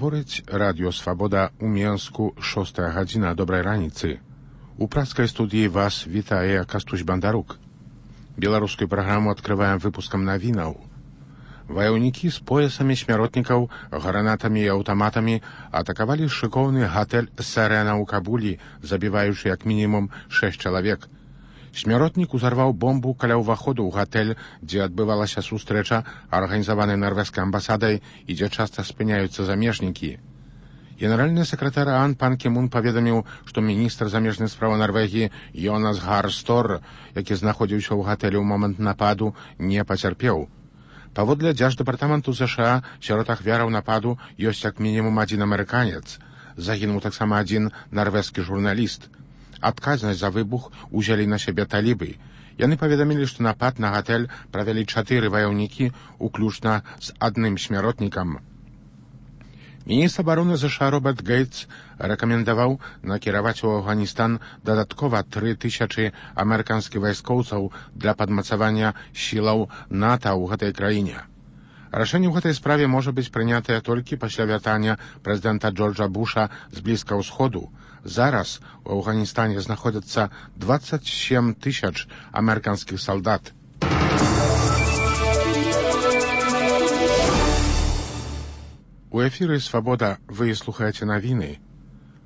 Гаворыць радыё Свабода ў Менску, 6 гадзіна, добрай раніцы. У пражскай студыі вас вітае Кастусь Бандарук. Беларускую праграму адкрываем выпускам навінаў. Ваяўнікі з поясамі смяротнікаў, гранатамі і аўтаматамі атакавалі шыкоўны гатэль «Сэрена» ў Кабулі, забіваючы як мінімум 6 чалавек. Смяротнік узарваў бомбу каля ўваходу ў гатэль, дзе адбывалася сустрэча, арганізаваная нарвежскай амбасадай і дзе часта спыняюцца замежнікі. Генеральны сакратар ААН пан Кі Мун паведаміў, што міністр замежных спраў Нарвегіі Йонас Гар Стор, які знаходзіўся ў гатэлі ў момант нападу, не пацярпеў. Паводле дзярждэпартаменту ЗША, сярод ахвяраў нападу ёсць як мінімум адзін амерыканец. Загінуў таксама адзін нарвежскі журналіст. Адказнасць за выбух узялі на сябе талібы. Яны паведамілі, што напад на гатэль правялі 4 ваяўнікі, уключна з адным смяротнікам. Міністр абароны ЗША Роберт Гейтс рэкамендаваў накіраваць у Афганістан дадаткова 3000 амерыканскіх вайскоўцаў для падмацавання сілаў НАТО ў гэтай краіне. Рашэнне ў гэтай справе можа быць прынятае толькі пасля вяртання прэзідэнта Джорджа Буша з Блізкага ўсходу. Зараз у Афганістане знаходзяцца 27 000 амерыканскіх салдат. У эфіры «Свабода» вы слухаеце навіны.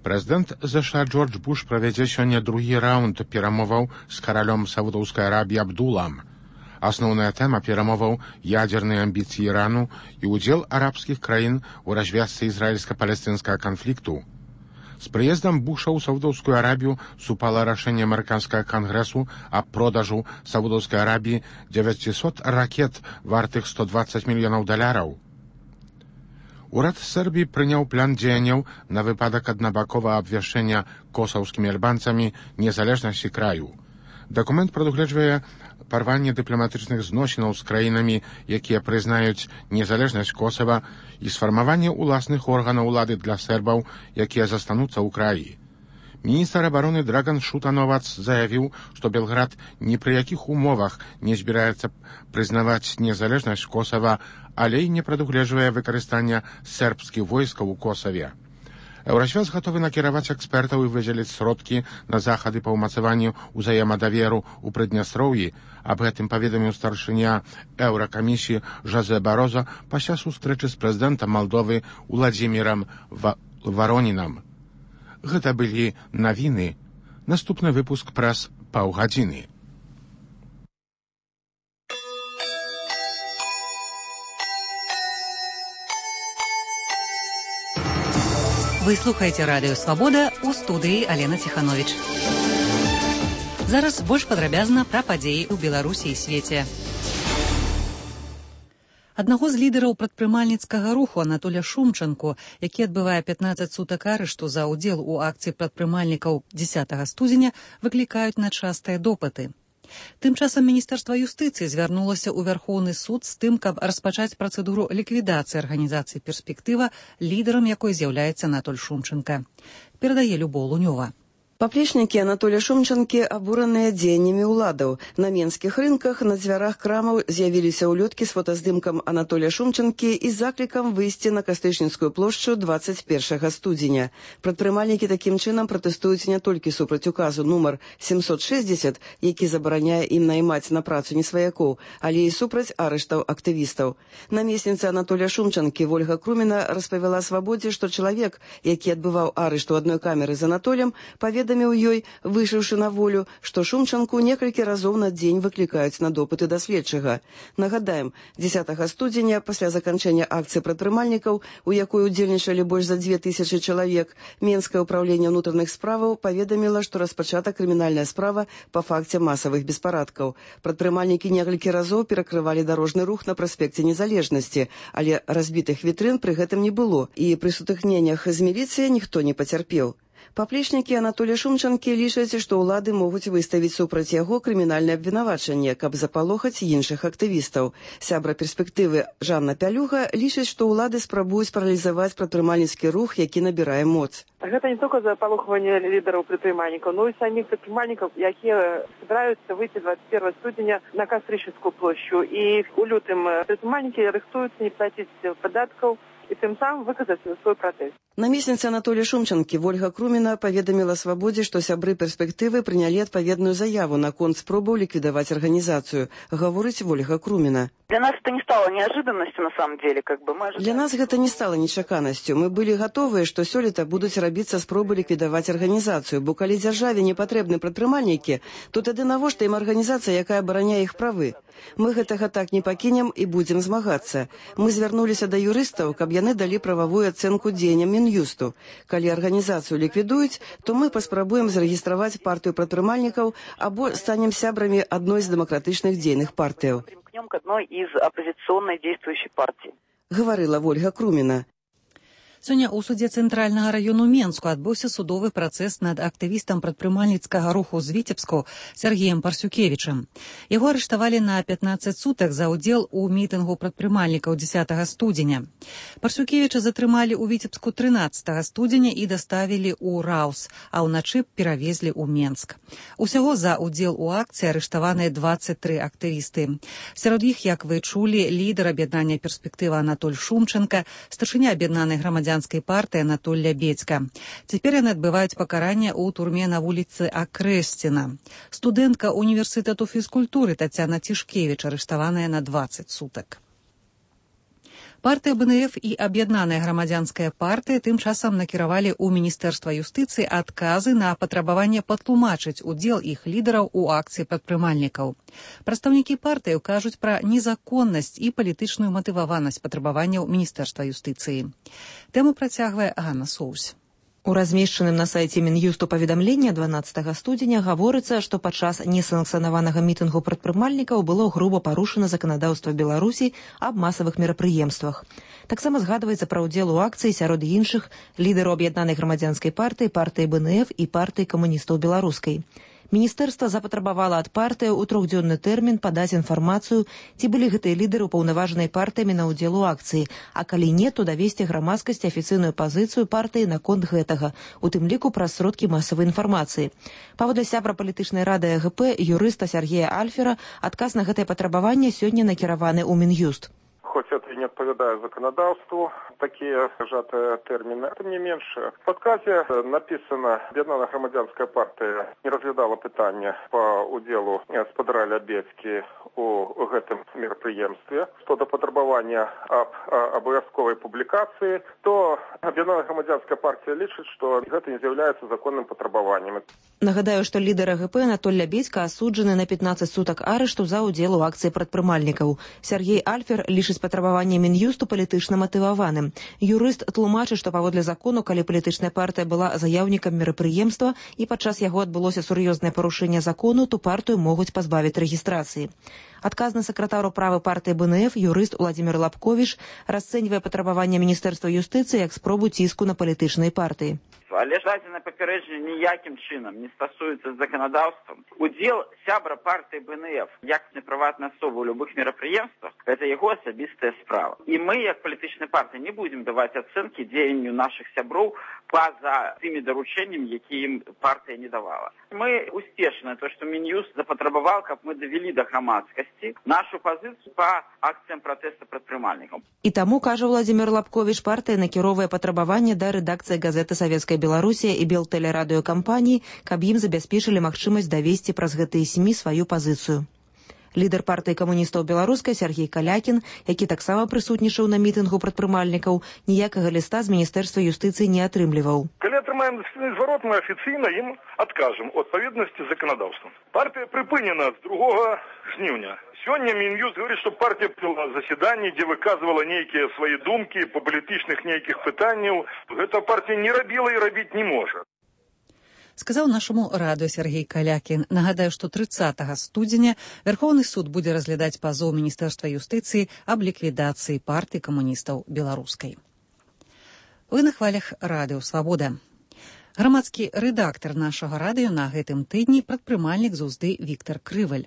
Прэзідэнт ЗША Джордж Буш правядзе сёння другі раунд перамоваў з каралём Саудаўскай Арабіі Абдулам. Асноўная тэма перамоваў — ядзерныя амбіцыі Ірану і ўдзел арабскіх краін у развязцы ізраільска-палестынскага канфлікту. З прыездам Буша ў Саудаўскую Арабію супала рашэнне амерыканскага кангрэсу аб продажу Саудаўскай Арабіі 900 ракет вартых $120 мільёнаў. Урад Сербіі прыняў план дзеянняў на выпадак аднабаковага абвяшчэння косаўскімі альбанцамі незалежнасці краю. Дакумент прадугледжвае парванне дыпламатычных зносінаў з краінамі, якія прызнаюць незалежнасць Косава, і сфармаванне ўласных органаў улады для сербаў, якія застануцца ў краі. Міністр абароны Драган Шутановац заявіў, што Белград ні пры якіх умовах не збіраецца прызнаваць незалежнасць Косава, але і не прадугледжвае выкарыстання сербскіх войскаў у Косаве. Еўрасвет гатовы накіраваць экспертаў і выдзеліць сродкі на захады па ўмацаванню ўзаемадаверу ў Прыднястроўі. Аб гэтым паведаміў старшыня Еўракамісіі Жозе Бароза пасля сустрэчы з прэзідэнтам Малдовы Уладзімірам Варонінам. Гэта былі навіны. Наступны выпуск праз паўгадзіны. Вы слухаеце радыё «Свабода», у студыі Алена Ціхановіч. Зараз больш падрабязна пра падзеі ў Беларусі і свеце. Аднаго з лідараў прадпрымальніцкага руху Анатоля Шумчанку, які адбывае 15 сутак арышту за ўдзел у акцыі прадпрымальнікаў 10 студзеня, выклікаюць на частыя допыты. Тым часам Міністэрства юстыцыі звярнулася ў Вярхоўны суд з тым, каб распачаць працэдуру ліквідацыі арганізацыі «Перспектыва», лідарам якой з'яўляецца Анатоль Шумчанка. Перадае Любоў Лунёва. Паплечнікі Анатоля Шумчанкі абураныя дзеяннямі ўладаў. На менскіх рынках на дзвярах крамаў з'явіліся ўлёткі з фотаздымкам Анатоля Шумчанкі і заклікам выйсці на Кастычніцкую плошчу 21 студзеня. Прадпрымальнікі такім чынам пратэстуюць не толькі супраць указу нумар 760, які забараняе ім наймаць на працу несваякоў, але і супраць арыштаў актывістаў. Намесніца Анатоля Шумчанкі Вольга Круміна распавяла «Свабодзе», што чалавек, які адбываў арышт у адной камеры з Анатолем, паведаміў ёй, выйшаўшы на волю, што Шумчанку некалькі разоў на дзень выклікаюць на допыты да следчага. Нагадаем, 10 студзеня, пасля заканчэння акцыі прадпрымальнікаў, у якой удзельнічалі больш за 2000 чалавек, Менскае ўпраўленне ўнутраных справаў паведаміла, што распачата крымінальная справа па факце масавых беспарадкаў. Прадпрымальнікі некалькі разоў перакрывалі дарожны рух на праспекце Незалежнасці, але разбітых вітрын пры гэтым не было, і пры сутыкненнях з міліцыяй ніхто не пацярпеў. Паплечнікі Анатоля Шумчанкі лічаць, што ўлады могуць выставіць супраць яго крымінальнае абвінавачанне, каб запалохаць іншых актывістаў. Сябра «Перспектывы» Жанна Пялюга лічыць, што ўлады спрабуюць паралізаваць прадпрымальніцкі рух, які набірае моц. Гэта не толькі запалохванне лідараў прадпрымальнікаў, но і саміх прадпрымальнікаў, якія збіраюцца выйти 21 студзеня на Кастрычніцкую плошчу. І у лютым прадпрымальнікі рыхтуюцца не плаціць падаткаў, і тым самым выказаць свой пратэст. Намесніца Анатолія Шумчанкі Вольга Круміна паведаміла «Свабодзе», што сябры перспектывы прынялі адпаведную заяву наконт спробаў ліквідаваць арганізацыю, гаворыць Вольга Круміна. Для нас это не стало неожиданностью, на самом деле. Для нас гэта не стала нечаканасцю. Мы былі гатовыя, што сёлета будуць рабіцца спробы ліквідаваць арганізацыю, бо калі дзяржаве не патрэбны прадпрымальнікі, то тады навошта ім арганізацыя, якая абараняе іх правы? Мы гэтага так не пакінем і будзем змагацца. Мы звярнуліся да юрыстаў, каб яны далі прававую ацэнку дзеянням Мін'юсту. Калі арганізацыю ліквідуюць, то мы паспрабуем зарэгістраваць партыю прадпрымальнікаў або станем сябрамі адной з дэмакратычных дзейных партыяў. К одной из оппозиционной действующей партии. Гаварыла Вольга Круміна. Сёння ў судзе цэнтральнага раёну Менску адбыўся судовы працэс над актывістам прадпрымальніцкага руху з Віцебску Сергеем Парсюкевічам. Яго арыштавалі на 15 сутак за ўдзел у мітынгу прадпрымальнікаў 10 студзеня. Парсюкевіча затрымалі ў Віцебску 13 студзеня і даставілі ў Раус, а ўначы перавезлі ў Менск. Усяго за ўдзел у акцыі арыштаваныя 23 актывісты. Сярод іх, як вы чулі, лідар аб'яднання «Перспектыва» Анатоль Шумчанка, старшыня аб'яднанай грамадзянскай партыі Анатоль Лябедзька. Цяпер яны адбываюць пакаранне ў турме на вуліцы Акрэсціна. Студэнтка універсітэту фізкультуры Тацяна Цішкевіч арыштаваная на 20 сутак. Партыя БНФ і аб'яднаная грамадзянская партыя тым часам накіравалі ў Міністэрства юстыцыі адказы на патрабаванне патлумачыць удзел іх лідараў у акцыі прадпрымальнікаў. Прадстаўнікі партыяў кажуць пра незаконнасць і палітычную матываванасць патрабаванняў Міністэрства юстыцыі. Тэму працягвае Ганна Соусь. У размешчаным на сайце Мін'юсту паведамленні 12 студзеня гаворыцца, што падчас несанкцыянаванага мітынгу прадпрымальнікаў было груба парушана заканадаўства Беларусі аб масавых мерапрыемствах. Таксама згадваецца пра ўдзел у акцыі сярод іншых лідараў аб'яднанай грамадзянскай партыі, партыі БНФ і партыі камуністаў беларускай. Міністэрства запатрабавала ад партыяў у 3-дзённы тэрмін падаць інфармацыю, ці былі гэтыя лідары ўпаўнаважаныя партыямі на ўдзел у акцыі, а калі не, то давесці грамадскасці афіцыйную пазіцыю партыі наконт гэтага, у тым ліку праз сродкі масавай інфармацыі. Паводле сябра палітычнай рады АГП юрыста Сергея Альфера, адказ на гэтае патрабаванне сёння накіраваны ў Мін'юст. Хоть это и не отповедает законодавству, такие сжатые термины. Тем не меньше, в отказе написано, об'єднана громадянська партія не розглядала питання по уділу Сподара Лябедзькі у гэтым мерапрыемстве. Что до потребования об обовязковой публикации, то об'єднана громадянська партія лічыць, что гэта не з'яўляецца законным патрабаваннем. Нагадаю, што лідар АГП Анатоль Лябедзька асуджаны на 15 сутак арышту за ўдзел у акцыі прадпрымальнікаў. Сергей Альфер лічыць патрабаванне Мін'юсту палітычна матываваным. Юрыст тлумачыць, што паводле закону, калі палітычная партыя была заяўнікам мерапрыемства і падчас яго адбылося сур'ёзнае парушэнне закону, то партыю могуць пазбавіць рэгістрацыі. Адказны сакратару правы партыі БНФ юрыст Уладзімір Лапковіч расцэньвае патрабаванне Міністэрства юстыцыі як спробу ціску на палітычнай партыі. Але дадзенае папярэджанне ніякім чынам не стасуецца з заканадаўствам. Удзел сябра партыі БНФ як прыватнай асобы ў любых мерапрыемствах – гэта яго асабістая справа. І мы, як палітычная партыя, не будзем даваць ацэнкі дзеянню нашых сяброў па-за тымі даручэннямі, якія ім партыя не давала. Мы усцешаны, то, што Мін'юст запатрабаваў, каб мы давялі да грамадскасці нашу пазіцыю па акцыям пратэста прадпрымальнікаў. І таму, кажа Уладзімір Лапковіч, партыя накіроўвае патрабаванне да рэдакцыі газеты «Савецкая Беларусія» і Белтэлерадыёкампаніі, каб ім забяспечылі магчымасць давесці праз гэтыя СМІ сваю пазіцыю. Лідар партыі камуністаў беларускай Сергей Калякін, які таксама прысутнічаў на мітынгу прадпрымальнікаў, ніякага ліста з Міністэрства юстыцыі не атрымліваў. Калі атрымаем зварот, мы афіцыйна ім адкажам у адпаведнасці з заканадаўствам. Партыя прыпынена з 2 жніўня. Сёння Мін'юст говорит, што партія провела заседанне, дзе выказвала нейкія свае думкі па палітычных нейкіх пытанняў. Гэта партія не рабіла і рабіць не можа. Сказаў нашаму радыё Сергей Калякін. Нагадаю, што 30 студзеня Верховны суд будзе разглядаць пазоў Міністэрства юстыцыі аб ліквідацыі партыі камуністаў беларускай. Вы на хвалях радыё «Свабода». Грамадскі рэдактар нашага радыё на гэтым тыдні прадпрымальнік з Узды Віктар Крываль.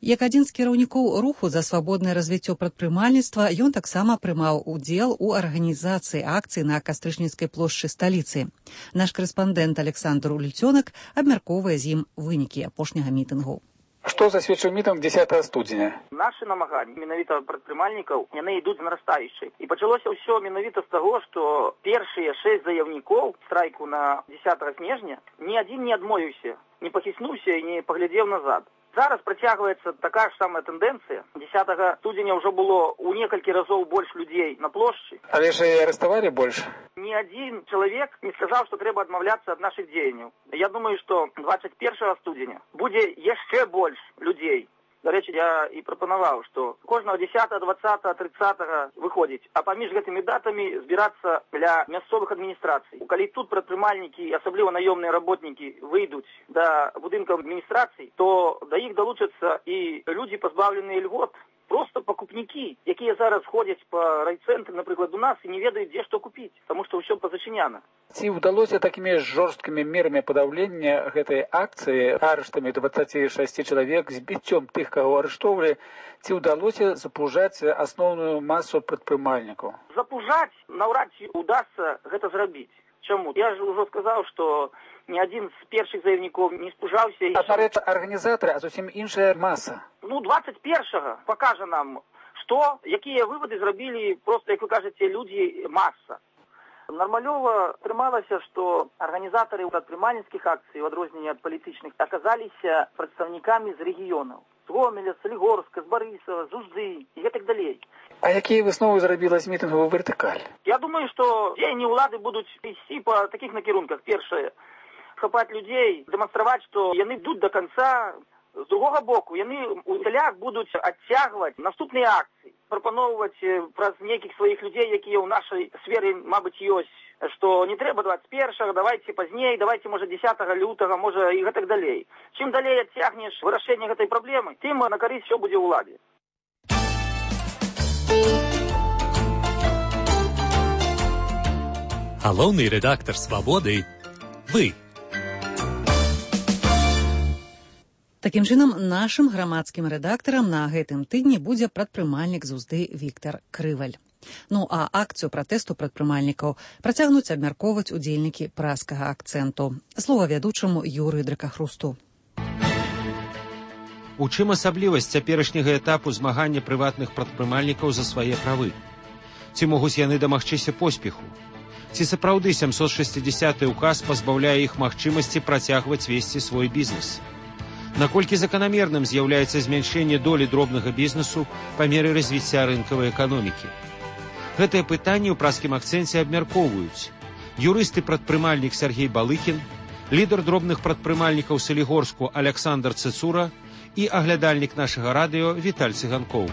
Як адзін з кіраўнікоў руху за свабоднае развіццё прадпрымальніцтва, ён таксама прымаў удзел у арганізацыі акцыі на Кастрычніцкай плошчы сталіцы. Наш корэспандэнт Александр Ульцёнак абмяркоўвае з ім вынікі апошняга мітынгу. Што засведчыў мітынг 10 студзеня? Нашы намаганні менавіта прадпрымальнікаў, яны ідуць нарастаючай. І пачалося ўсё менавіта з таго, што першыя 6 заяўнікоў страйку на 10 снежня ні адзін не адмовіўся, не пахіснуўся і не паглядзеў назад. Зараз працягваецца такая ж самая тэндэнцыя. 10 студзеня ўжо было ў некалькі разоў больш людзей на плошчы. Але ж і арыштавалі больш. Ні адзін чалавек не сказаў, што трэба адмаўляцца ад нашых дзеянняў. Я думаю, што 21 студзеня будзе яшчэ больш людзей. До рэчы, я і прапанаваў, што кожнага 10, 20, 30 выходзіць, а паміж гэтымі датамі збірацца для мясцовых адміністрацый. Калі тут прадпрымальнікі, асабліва наёмныя работнікі, выйдуць да будынкаў адміністрацый, то да іх далучацца і людзі, пазбаўленыя льгот. Просто пакупнікі, якія зараз ходзяць па райцэнтры, напрыклад, у нас і не ведаюць, дзе што купіць, таму што ўсё пазачыняна. Ці ўдалося такімі жорсткімі мерамі падаўлення гэтай акцыі, арыштамі 26 чалавек, збіццём тых, каго арыштоўвалі, ці ўдалося запужаць асноўную масу прадпрымальнікаў? Запужаць наўрад ці удасца гэта зрабіць. Чаму? Я ж ужо сказаў, што ні адзін з першых заявнікоў не спужаўся. Адна рэч арганізатары, а зусім іншая маса. 21-го пакажа нам, што, якія вывады зрабілі проста, як вы кажаце, людзі маса. Нармалёва атрымалася, што арганізатары прадпрымальніцкіх акцый, у адрозненне ад палітычных, аказаліся прадстаўнікамі з рэгіёнаў. З Гомеля, Салігорска, з Барысава, з Ужды і гэтак далей. А якія высновы зрабіла з мітынгу вертыкаль? Я думаю, што дзеянні ўлады будуць ісці па такіх накірунках. Першае, хапаць людзей, дэманстраваць, што яны ідуць да канца. З другога боку, яны у далях будуць адцягваць наступныя акцыі, прапаноўваць праз нейкіх сваіх людзей, якія ў нашай сферы, мабыць, ёсць, што не трэба 21-го, давайце пазней, давайце, можа, 10 лютага, можа, і гэтак далей. Чым далей адцягнеш вырашэнне гэтай праблемы, тым на карысць усё будзе ўладзе. Галоўны рэдактар «Свабоды» – вы. Такім чынам, нашым грамадскім рэдактарам на гэтым тыдні будзе прадпрымальнік з Узды Віктар Крываль. Ну а акцыю пратэсту прадпрымальнікаў працягнуць абмяркоўваць удзельнікі праскага акцэнту. Слова вядучаму Юрыю Дракахрусту. У чым асаблівасць цяперашняга этапу змагання прыватных прадпрымальнікаў за свае правы? Ці могуць яны дамагчыся поспеху? Ці сапраўды 760-й указ пазбаўляе іх магчымасці працягваць весці свой бізнес? Наколькі заканамерным з'яўляецца змяншэнне долі дробнага бізнесу па меры развіцця рынкавай эканомікі? Гэтае пытанне ў праскім акцэнце абмяркоўваюць юрыст і прадпрымальнік Сергей Балыкін, лідар дробных прадпрымальнікаў Салігорску Аляксандр Цыцура і аглядальнік нашага радыё Віталь Цыганкоў.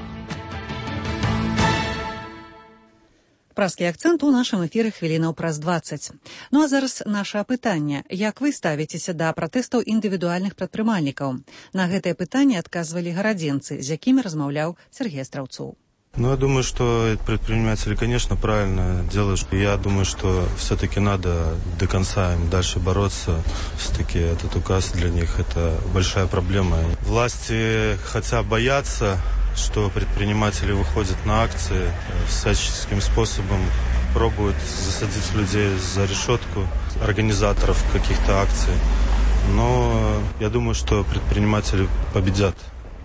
Праскі акцэнт у нашым эфіры хвілінаў праз 20. Ну а зараз наша апытанне. Як вы ставіцеся да пратэстаў індывідуальных прадпрымальнікаў? На гэтае пытанне адказвалі гарадзенцы, з якімі размаўляў Сергей Астраўцоў. Ну, я думаю, что предприниматели, конечно, правильно делают. Я думаю, что все-таки надо до конца им дальше бороться. Все-таки этот указ для них это большая проблема. Власти хотя боятся, что предприниматели выходят на акции, всяческим способом пробуют засадить людей за решетку, организаторов каких-то акций. Но я думаю, что предприниматели победят.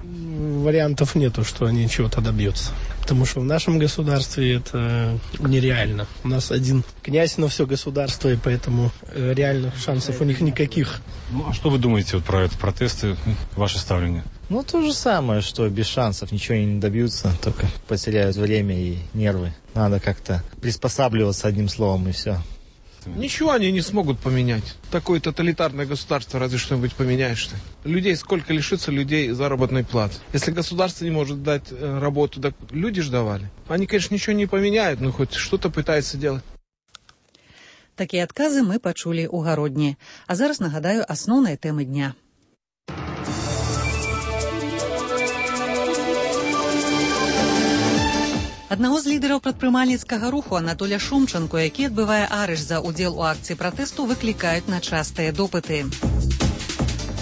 Вариантов нету, что они чего-то добьются. Потому что в нашем государстве это нереально. У нас один князь на все государство, и поэтому реальных шансов у них никаких. Ну, а что вы думаете вот про это, протесты, ваше ставление? Ну, то же самое, что без шансов ничего не добьются, только потеряют время и нервы. Надо как-то приспосабливаться, одним словом, и все. Ничего они не смогут поменять. Такое тоталитарное государство, разве что-нибудь поменяешь-то. Людей сколько лишится людей заработной платы. Если государство не может дать работу, так люди ж давали. Они, конечно, ничего не поменяют, но хоть что-то пытаются делать. Такія адказы мы пачулі ў гародні. А зараз нагадаю асноўныя тэмы дня. Аднаго з лідараў прадпрымальніцкага руху Анатоля Шумчанку, які адбывае арышт за ўдзел у акцыі пратэсту, выклікаюць на частыя допыты.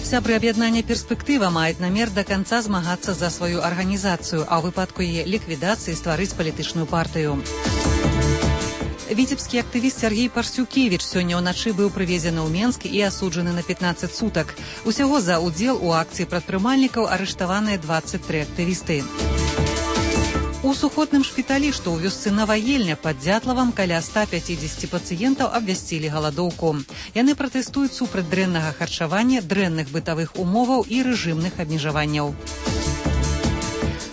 Сябры аб'яднання «Перспектыва» маюць намер да канца змагацца за сваю арганізацыю, а ў выпадку яе ліквідацыі стварыць палітычную партыю. Віцебскі актывіст Сергей Парсюкевіч сёння ўначы быў прывезены ў Менск і асуджаны на 15 сутак. Усяго за ўдзел у акцыі прадпрымальнікаў арыштаваныя 23 актывісты. У сухотным шпіталі, што ў вёсцы Наваельня пад Дзятлавам, каля 150 пацыентаў абвясцілі галадоўку. Яны пратэстуюць супраць дрэннага харчавання, дрэнных бытавых умоваў і рэжымных абмежаванняў.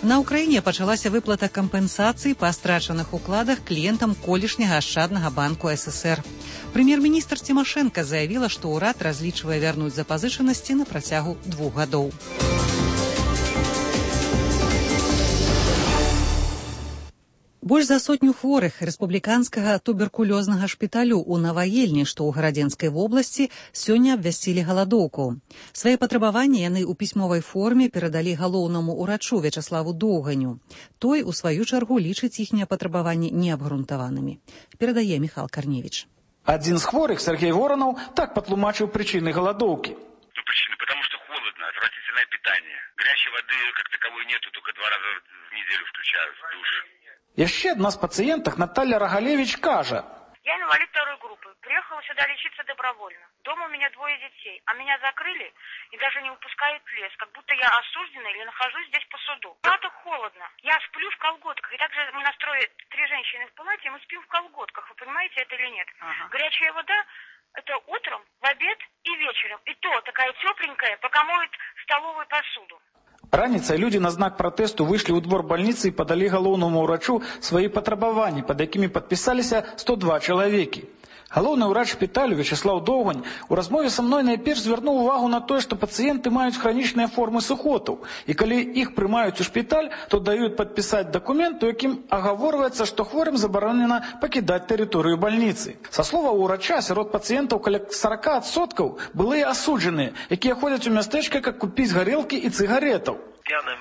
На Ўкраіне пачалася выплата кампенсацыі па страчаных укладах кліентам колішняга ашчаднага банку ССР. Прэм'ер-міністр Цімашэнка заявіла, што ўрад разлічвае вярнуць запазычанасці на працягу 2 гадоў. Больш за 100 хворых рэспубліканскага туберкулёзнага шпіталю ў Наваельні, што ў Гарадзенскай вобласці, сёння абвясцілі галадоўку. Свае патрабаванні яны ў пісьмовай форме перадалі галоўнаму ўрачу Вячаславу Доўганю. Той, у сваю чаргу, лічыць іхнія патрабаванні неабгрунтаванымі. Перадае Міхал Карневіч. Адзін з хворых, Сергей Воронов, так патлумачыў причины голодовки. Причины, потому что холодно, отвратительное питание. Горячей воды как таковой нету, только 2 раза в неделю включают в душ. Яшчэ адна з пациенток, Наталья Рогалевич, кажа. Я инвалид 2 группы. Приехала сюда лечиться добровольно. Дома у меня 2 детей, а меня закрыли и даже не выпускают в лес, как будто я осуждена или нахожусь здесь по суду. Это холодно. Я сплю в колготках. И также мы настроили 3 женщины в палате, и мы спим в колготках. Вы понимаете это или нет? Горячая вода — это утром, в обед и вечером. И то такая тепленькая, пока моют столовую посуду. Раніцай людзі на знак пратэсту выйшлі ў двор бальніцы і падалі галоўнаму ўрачу свае патрабаванні, пад якімі падпісаліся 102 чалавекі. Галоўны ўрач шпіталю Вячаслав Доўгань у размове са мной найперш звярнуў увагу на тое, што пацыенты маюць хранічныя формы сухотаў, і калі іх прымаюць у шпіталь, то даюць падпісаць дакумент, у якім агаворваецца, што хворым забаронена пакідаць тэрыторыю бальніцы. Са словаў ўрача, сярод пацыентаў каля 40% былыя асуджаныя, якія ходзяць у мястэчка, каб купіць гарэлкі і цыгаретаў. В пьяном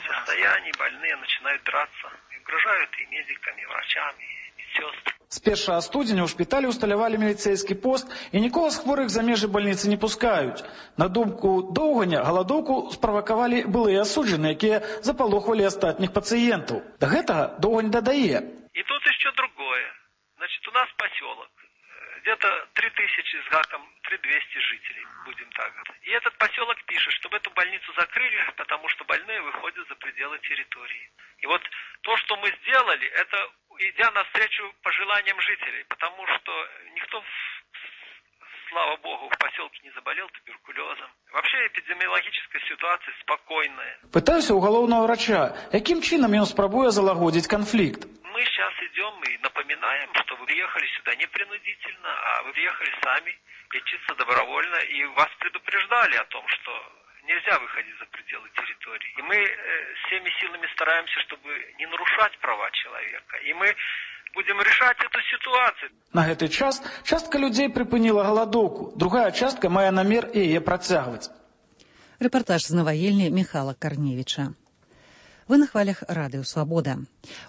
состоянии больные начинают драться, угрожают и медиками, и врачами, и медсестрами. З 1 студзеня ў шпіталі ўсталявалі міліцэйскі пост, і нікога з хворых за межы бальніцы не пускаюць. На думку Доўганя, галадоўку справакавалі былыя асуджаныя, якія запалохвалі астатніх пацыентаў. Да гэтага Доўгань дадае. И тут еще другое. Значит, у нас поселок. Где-то 3000 с гаком, 3200 жителей, будем так говорить. И этот поселок пишет, чтобы эту больницу закрыли, потому что больные выходят за пределы территории. И вот то, что мы сделали, это идя навстречу пожеланиям жителей, потому что никто, слава богу, в поселке не заболел туберкулезом. Вообще эпидемиологическая ситуация спокойная. Пытаюся у галоўнага врача, яким чином ён спрабуе залагодзіць конфликт. Мы сейчас идем и напоминаем, что вы приехали сюда не принудительно, а вы приехали сами лечиться добровольно, и вас предупреждали о том, что нельзя выходить за пределы территории. И мы всеми силами стараемся, чтобы не нарушать права человека. И мы будем решать эту ситуацию. На гэты час частка людзей прыпыніла галадоўку, другая частка мае намер яе працягваць. Рэпартаж з Наваельні Міхала Карневіча. Вы на хвалях радыё «Свабода».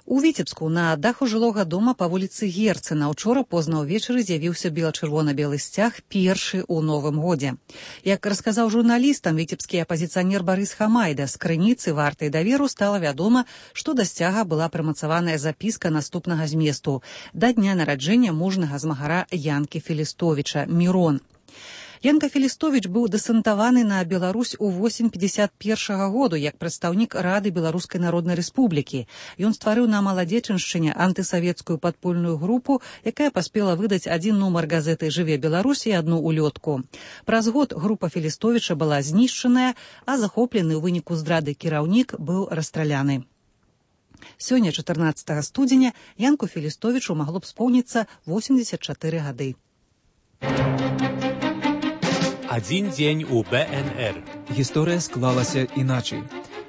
У Віцебску на даху жылога дома па вуліцы Герцена учора позна ўвечары з'явіўся бела-чырвона-белы сцяг, першы ў новым годзе. Як расказаў журналістам віцебскі апазіцыянер Барыс Хамайда, з крыніцы вартай даверу стала вядома, што да сцяга была прымацаваная запіска наступнага зместу да дня нараджэння мужнага змагара Янкі Філістовіча «Мірон». Янка Філістовіч быў дэсантаваны на Беларусь у 1951 году як прадстаўнік Рады Беларускай Народнай Рэспублікі. Ён стварыў на Маладзечыншчыне антысавецкую падпольную групу, якая паспела выдаць 1 нумар газеты «Жыве Беларусь» і 1 улётку. Праз год група Філістовіча была знішчаная, а захоплены ў выніку здрады кіраўнік быў расстраляны. Сёння, 14 студзеня, Янку Філістовічу магло б споўніцца 84 гады. Один день у БНР. Гісторыя склалася іначай.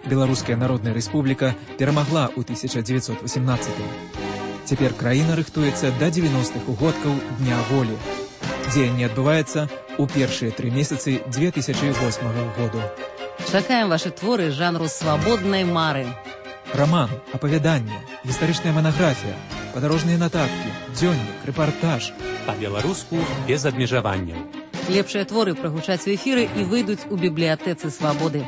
Беларуская Народная Рэспубліка перамагла ў 1918-м. Цяпер краіна рыхтуецца да 90-х угодкаў Дня волі. Дзеянне адбываецца ў першыя 3 месяцы 2008 году. Чакаем ваши творы жанру свабоднай мары. Роман, апавяданне, гістарычная манаграфія, падарожныя нататкі, дзённік, рэпартаж. Па-беларуску без абмежаванняў. Лепшыя творы прагучаць у эфіры і выйдуць у бібліятэцы «Свабоды».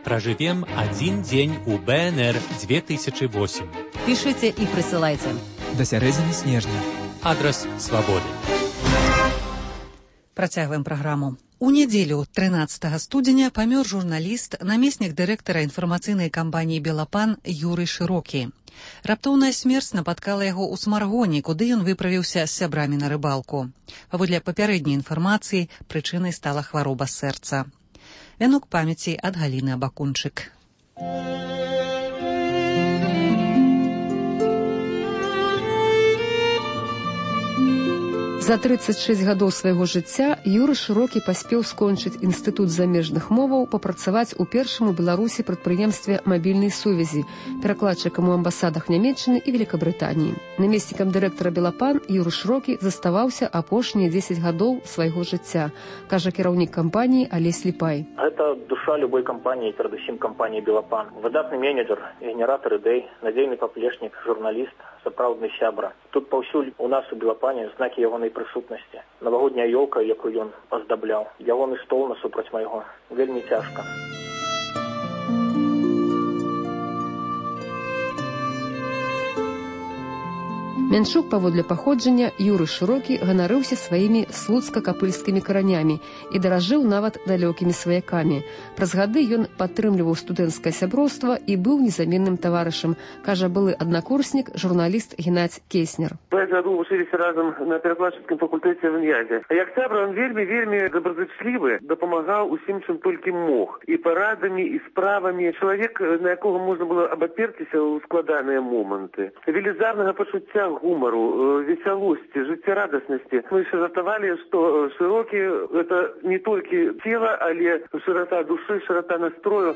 Проживем один день у БНР 2008. Пішыце і прысылайце. да сярэдзіны снежня. Адрас «Свободы». Працягваем праграму. У нядзелю 13 студзеня памёр журналіст, намеснік дырэктара інфармацыйнай кампаніі «Белапан» Юрый Шырокі. Раптоўная смерць напаткала яго ў Смаргоне, куды ён выправіўся з сябрамі на рыбалку. Паводле папярэдняй інфармацыі, прычынай стала хвароба сэрца. Вянок памяці ад Галіны Абакунчык. За 36 гадоў свайго жыцця Юры Шырокі паспеў скончыць інстытут замежных моваў, папрацаваць у першым у Беларусі прадпрыемстве мабільнай сувязі, перакладчыкам у амбасадах Нямецчыны і Великабрытаніі. Намеснікам дырэктара «Белапан» Юры Шырокі заставаўся апошнія 10 гадоў свайго жыцця, кажа кіраўнік кампаніі Алесь Ліпай. Гэта душа любой кампаніі, перадусім кампаніі «Белапан». Выдатны менеджер, генератор ідэй, надзейны паплечнік, журналіст, сапраўдны сябра. Тут паўсюль у нас у «Белапане» знакі ягонай прысутнасці. Навагодняя ёлка, якую ён аздабляў. Ягоны стол насупраць майго. Вельмі цяжка. Мянчук, паводле паходжання, Юры Шырокі ганарыўся сваімі слуцка-капыльскімі каранямі і даражыў нават далёкімі сваякамі. Праз гады ён падтрымліваў студэнцкае сяброўства і быў незаменным таварышам, кажа былы аднакурснік, журналіст Геннадзь Кейснер. 5 гадоў вучыліся разам на перакладчыцкім факультэце в Ін'язе. Як сябра, ён вельмі добразычлівы, дапамагаў усім, чым толькі мог. І парадамі, і справамі. Чалавек, на якога можна было абаперціся ў складаныя моманты. Велізарнага пачуцця гумору, весялости, жыццярадаснасці. Мы еще жартавалі, што Шырокі – это не толькі цела, але шырата души, шырата настрою.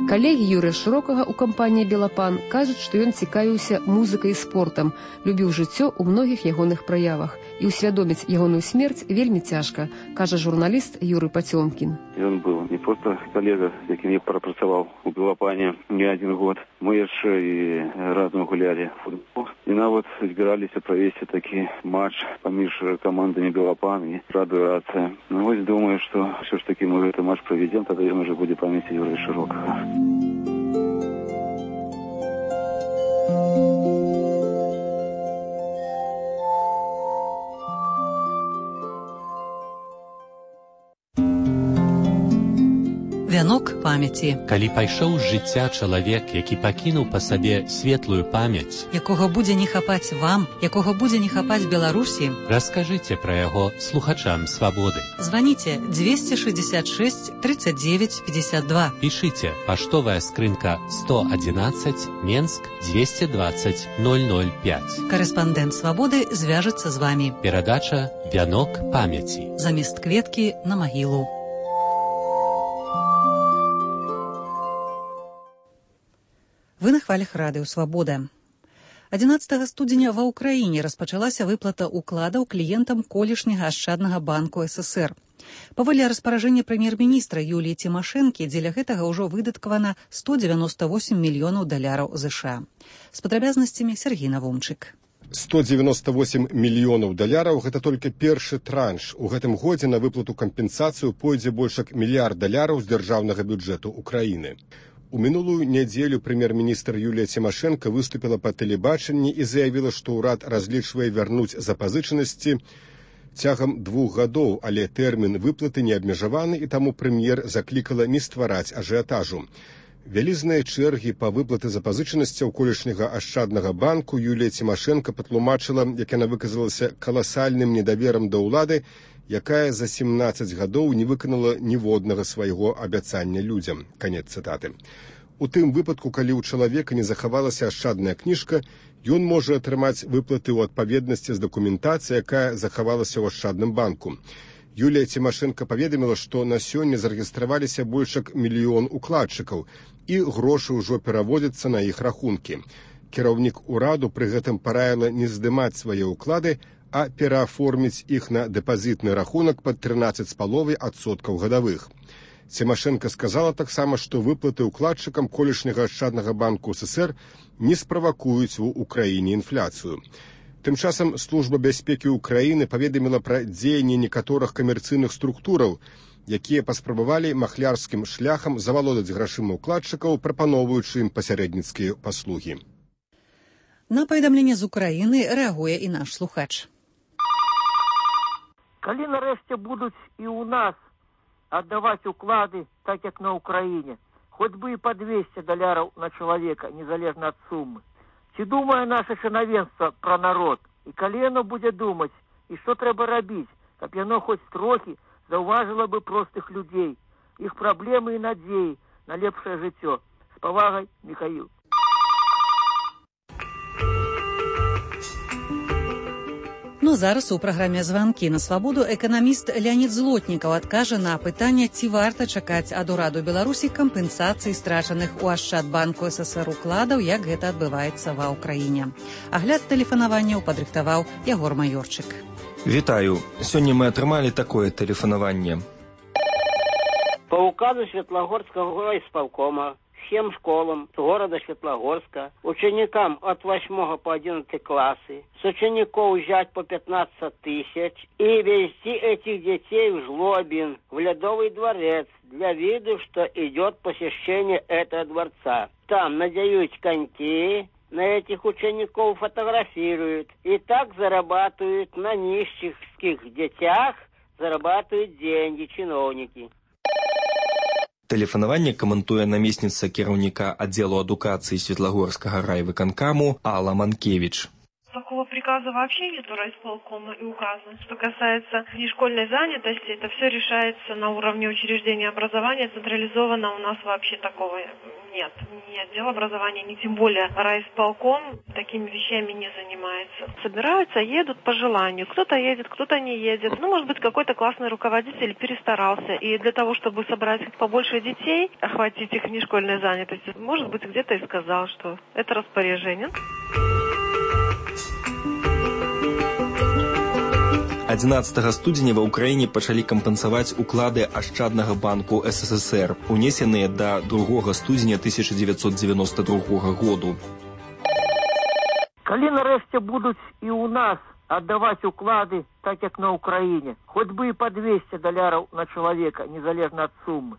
Калегі Юрыя Шырокага ў кампаніі «Белапан» кажуць, што ён цікавіўся музыкай і спортам, любіў жыццё ў многіх ягоных праявах. І ўсвядоміць ягоную смерць вельмі цяжка, кажа журналіст Юрый Пацёмкін. Ён быў не проста калега, з якім я прапрацаваў у «Белапане» не адзін год. Мы яшчэ і разам гулялі футбол. І нават збіраліся правесці такі матч паміж камандамі «Белапан» і «Радыёрацыя». Ну вось думаю, што ўсё ж такі мы гэты матч правядзем, тады ён уже будзе памяці Юрыя Шырокага. Вянок памяці. Калі пайшоў з жыцця чалавек, які пакінуў па сабе светлую памяць, якога будзе не хапаць вам, якога будзе не хапаць Беларусі, раскажыце пра яго слухачам «Свабоды». Званіце 266 39 52. Пішыце паштовая скрынка 111, Менск 220 005. Карэспандэнт «Свабоды» звяжацца з вамі. Перадача «Вянок памяці». Замест кветкі на магілу. Вы на хвалях радыё «Свабода». 11 студзеня ва ўкраіне распачалася выплата ўкладаў кліентам колішняга ашчаднага банку СССР. Паводле распаражэння прэм'ер-міністра Юліі Цімашэнкі, дзеля гэтага ўжо выдаткавана $198 мільёнаў США. З падрабязнасцямі Сергій Навумчык. 198 мільёнаў даляраў – гэта толькі першы транш. У гэтым годзе на выплату кампенсацыю пойдзе больш як $1 мільярд з дзяржаўнага бюджэту Украіны. У мінулую нядзелю прэм'ер-міністр Юлія Цімашэнка выступіла па тэлебачанні і заявіла, што ўрад разлічвае вярнуць запазычанасці цягам 2 гадоў, але тэрмін выплаты не абмежаваны, і таму прэм'ер заклікала не ствараць ажыятажу. Вялізныя чэргі па выплаты запазычанасцяў колішняга ашчаднага банку Юлія Цімашэнка патлумачыла, як яна выказалася, каласальным недаверам да ўлады, якая за 17 гадоў не выканала ніводнага свайго абяцання людзям. Канец цытаты. У тым выпадку, калі ў чалавека не захавалася ашчадная кніжка, ён можа атрымаць выплаты ў адпаведнасці з дакументацыяй, якая захавалася ў ашчадным банку. Юлія Цімашэнка паведаміла, што на сёння зарэгістраваліся больш як 1 мільён укладчыкаў, і грошы ўжо пераводзяцца на іх рахункі. Кіраўнік ураду пры гэтым параіла не здымаць свае ўклады, а перааформіць іх на дэпазітны рахунак пад 13,5% гадавых. Цімашэнка сказала таксама, што выплаты ўкладчыкам колішняга ашчаднага банку СССР не справакуюць у Украіне інфляцыю. Тым часам Служба бяспекі Украіны паведаміла пра дзеянне некаторых камерцыйных структураў, якія паспрабавалі махлярскім шляхам завалодаць грашыма ўкладчыкаў, прапаноўваючы ім пасярэдніцкія паслугі. На паведамленне з Украіны рэагуе і наш слухач. Калі нарэшце будуць і ў нас аддаваць уклады, так як на Украіне, хоць бы і па $200 на чалавека, незалежна ад сумы. Ці думае наша чынавенства пра народ? І калі яно будзе думаць, і што трэба рабіць, каб яно хоць трохі заўважыла бы простых людзей, іх праблемы і надзеі на лепшае жыццё. З павагай, Міхаіл. Ну, зараз у праграме «Званкі на свабоду» эканаміст Леонід Злотнікаў адкажа на пытанне, ці варта чакаць ад ураду Беларусі кампенсацыі страчаных у Ашчадбанку СССР укладаў, як гэта адбываецца ва ўкраіне. Агляд тэлефанаванняў падрыхтаваў Ягор Маёрчык. Вітаю. Сёння мы атрымалі такое тэлефанаванне. По указу Светлагорского райисполкома всем школам города Светлогорска, ученикам от 8 по 11 классы, с учеников взять по 15 тысяч и везти этих детей в Жлобин, в Ледовый дворец, для виду, что идет посещение этого дворца. Там надеют коньки, на этих учеников фотографируют, и так зарабатывают на нищих детях, зарабатывают деньги чиновники. Тэлефанаванне каментуе намесніца кіраўніка аддзелу адукацыі Светлагорскага райвыканкаму Алла Манкевич. Такого приказа вообще нет у райисполкома и указа. Что касается нешкольной занятости, это все решается на уровне учреждения образования. Централизованно у нас вообще такого нет. Ни отдел образования, ни тем более райисполком такими вещами не занимается. Собираются, едут по желанию. Кто-то едет, кто-то не едет. Ну, может быть, какой-то классный руководитель перестарался. И для того, чтобы собрать побольше детей, охватить их нешкольной занятостью, может быть, где-то и сказал, что это распоряжение. 11 студзеня ва ўкраіне пачалі кампенсаваць уклады Ашчаднага банку СССР, унесеныя да 2 студзеня 1992 году. Калі нарэшце будуць і ў нас аддаваць уклады, так як на Украіне, хоць бы і па $200 на чалавека, незалежна ад сумы.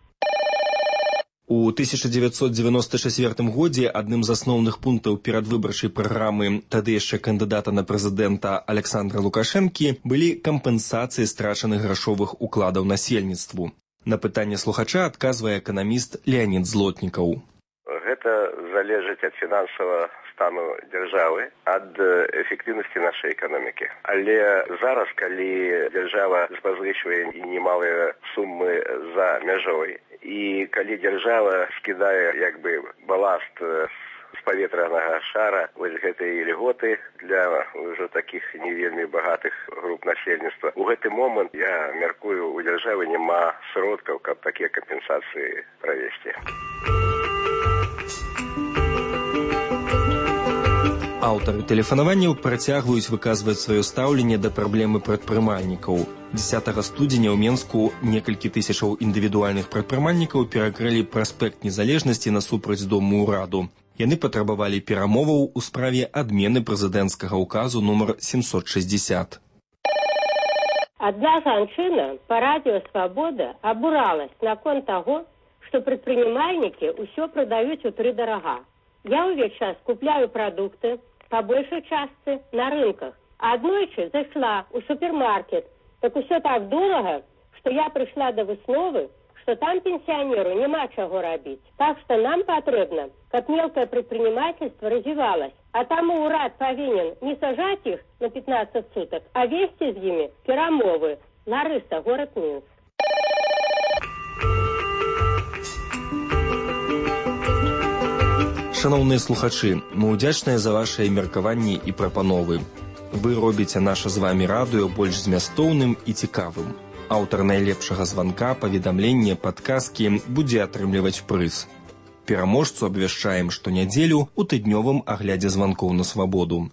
У 1994 годзе адным з асноўных пунктаў перадвыбарчай праграмы тады яшчэ кандыдата на прэзідэнта Александра Лукашэнкі былі кампенсацыі страчаных грашовых укладаў насельніцтву. На пытанне слухача адказвае эканаміст Леонід Злотнікаў. Гэта залежыць ад фінансавага стану дзяржавы, ад эфектыўнасці нашай эканомікі. Але зараз, калі дзяржава запазычвае немалыя сумы за мяжой, і калі дзяржава скідае як бы баласт з паветранага шара, вось гэтыя льготы для ўжо такіх не вельмі багатых груп насельніцтва, у гэты момант, я мяркую, у дзяржавы няма сродкаў, каб такія кампенсацыі правесці. Аўтары тэлефанаванняў працягваюць выказваць сваё стаўленне да праблемы прадпрымальнікаў. 10 студзеня ў Менску некалькі тысячаў індывідуальных прадпрымальнікаў перакрылі праспект Незалежнасці насупраць Дому ўраду. Яны патрабавалі перамоваў у справе адмены прэзідэнцкага ўказу нумар 760. Одна жанчына по радио «Свобода» обуралась наконт того, что предпринимальники все продают утридорога. Я увесь час купляю продукты по большей части на рынках. А однойчы зашла у супермаркет, так все так дорого, что я пришла до высновы, что там пенсионеру нема чего робить. Так что нам потребно, как мелкое предпринимательство развивалось. А там и урад повинен не сажать их на 15 суток, а вести с ними перамовы. Ларыса, город Минск. Шановныя слухачы, мы ўдзячныя за вашыя меркаванні і прапановы. Вы робіце наша з вамі радыё больш змястоўным і цікавым. Аўтар найлепшага званка, паведамлення, падказкі будзе атрымліваць прыз. Пераможцу абвяшчаем штонядзелю ў тыднёвым аглядзе званкоў на свабоду.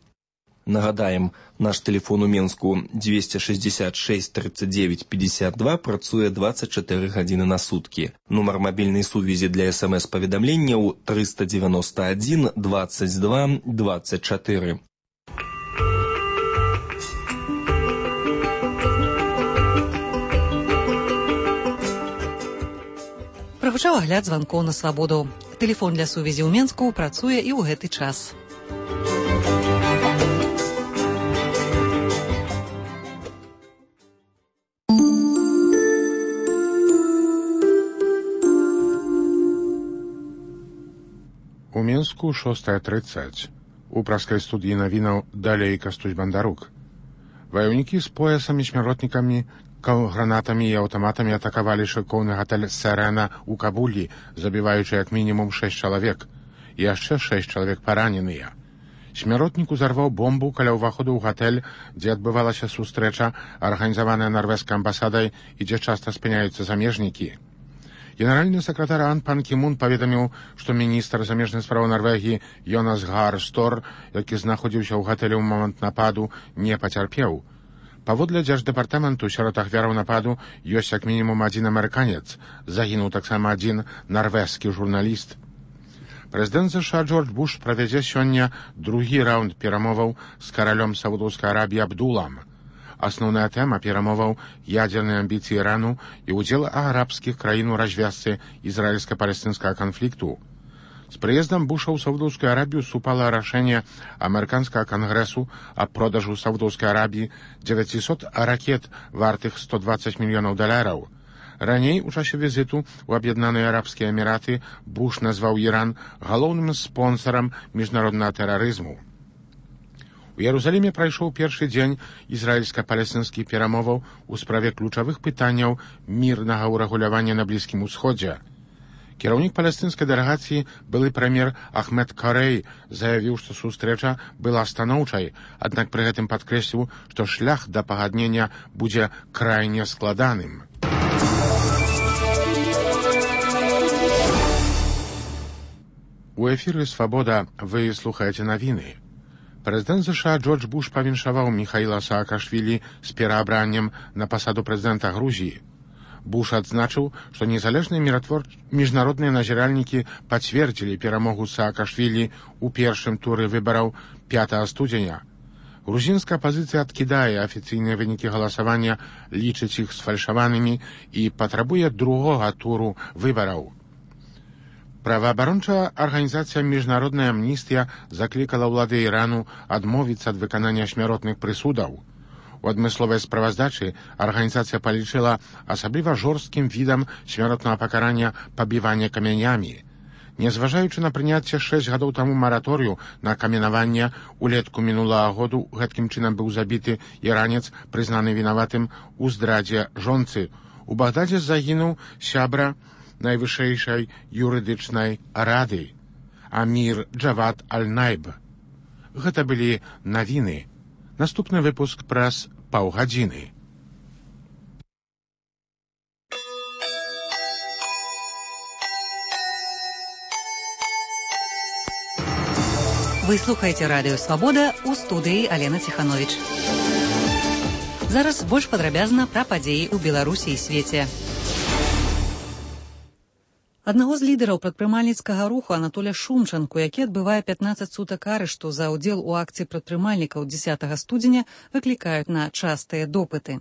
Нагадаем, наш тэлефон у Менску 266 39 52 працуе 24 гадзіны на суткі. Нумар мабільнай сувязі для СМС-паведамленняў 391 22 24. Прагучаў агляд званкоў на свабоду. Тэлефон для сувязі ў Менску працуе і ў гэты час. У Мінску 6:30. У праскай студыі навінаў далей Кастусь Бандарук. Ваяўнікі з поясамі, смяротнікамі, гранатамі і аўтаматамі атакавалі шыкоўны гатэль «Сэрена» ў Кабулі, забіваючы як мінімум 6 чалавек. І яшчэ 6 чалавек параненыя. Смяротнік узарваў бомбу каля ўваходу ў гатэль, дзе адбывалася сустрэча, арганізаваная нарвежскай амбасадай і дзе часта спыняюцца замежнікі. Генеральны сакратар АН Пан Кі Мун паведаміў, што міністр замежных спраў Нарвегіі Йонас Гар Стор, які знаходзіўся ў гатэлі ў момант нападу, не пацярпеў. Паводле дзярждэпартаменту, сярод ахвяраў нападу ёсць як мінімум 1 амерыканец, загінуў таксама 1 нарвежскі журналіст. Прэзідэнт США Джордж Буш правядзе сёння другі раунд перамоваў з каралём Саудаўскай Арабіі Абдулам. Асноўная тэма перамоваў ядзерныя амбіцыі Ірану і ўдзел арабскіх краін у развязцы ізраільска-палестынскага канфлікту. З прыездам Буша ў Саудаўскую Арабію супала рашэнне амерыканскага кангрэсу аб продажу Саудаўскай Арабіі 900 ракет вартых $120 мільёнаў. Раней, у часе візіту ў Аб'яднаныя Арабскія Эміраты, Буш назваў Іран галоўным спонсарам міжнароднага тэрарызму. У Ярусаліме прайшоў першы дзень ізраільска-палестынскіх перамоваў у справе ключавых пытанняў мірнага ўрэгулявання на Блізкім Усходзе. Кіраўнік палестынскай дэлегацыі, былы прэм'ер Ахмед Карэй, заявіў, што сустрэча была станоўчай, аднак пры гэтым падкрэсліў, што шлях да пагаднення будзе крайне складаным. У эфіры «Свабода» вы слухаеце навіны. Прэзідэнт США Джордж Буш павіншаваў Міхаіла Саакашвілі з пераабраннем на пасаду прэзідэнта Грузіі. Буш адзначыў, што незалежныя міжнародныя назіральнікі пацвердзілі перамогу Саакашвілі ў першым туры выбараў 5 студзеня. Грузінская апазіцыя адкідае афіцыйныя вынікі галасавання, лічыць іх сфальшаванымі і патрабуе другога туру выбараў. Праваабарончая арганізацыя «Міжнародная амністыя» заклікала ўлады Ірану адмовіцца ад выканання смяротных прысудаў. У адмысловай справаздачы арганізацыя палічыла асабліва жорсткім відам смяротнага пакарання пабівання камянямі. Незважаючы на прыняцце 6 гадоў таму мараторыю на каменаванне, улетку мінулага году гэткім чынам быў забіты іранец, прызнаны вінаватым у здрадзе жонцы. У Багдадзе загінуў сябра найвышэйшай юрыдычнай рады Амір Джавад Аль-Найб. Гэта былі навіны. Наступны выпуск праз паўгадзіны. Вы слухаеце радыё «Свабода», у студыі Алена Ціхановіч. Зараз больш падрабязна пра падзеі ў Беларусі і свеце. Аднаго з лідараў прадпрымальніцкага руху Анатоля Шумчанку, які адбывае 15 сутак арышту за ўдзел у акцыі прадпрымальнікаў 10 студзеня, выклікаюць на частыя допыты.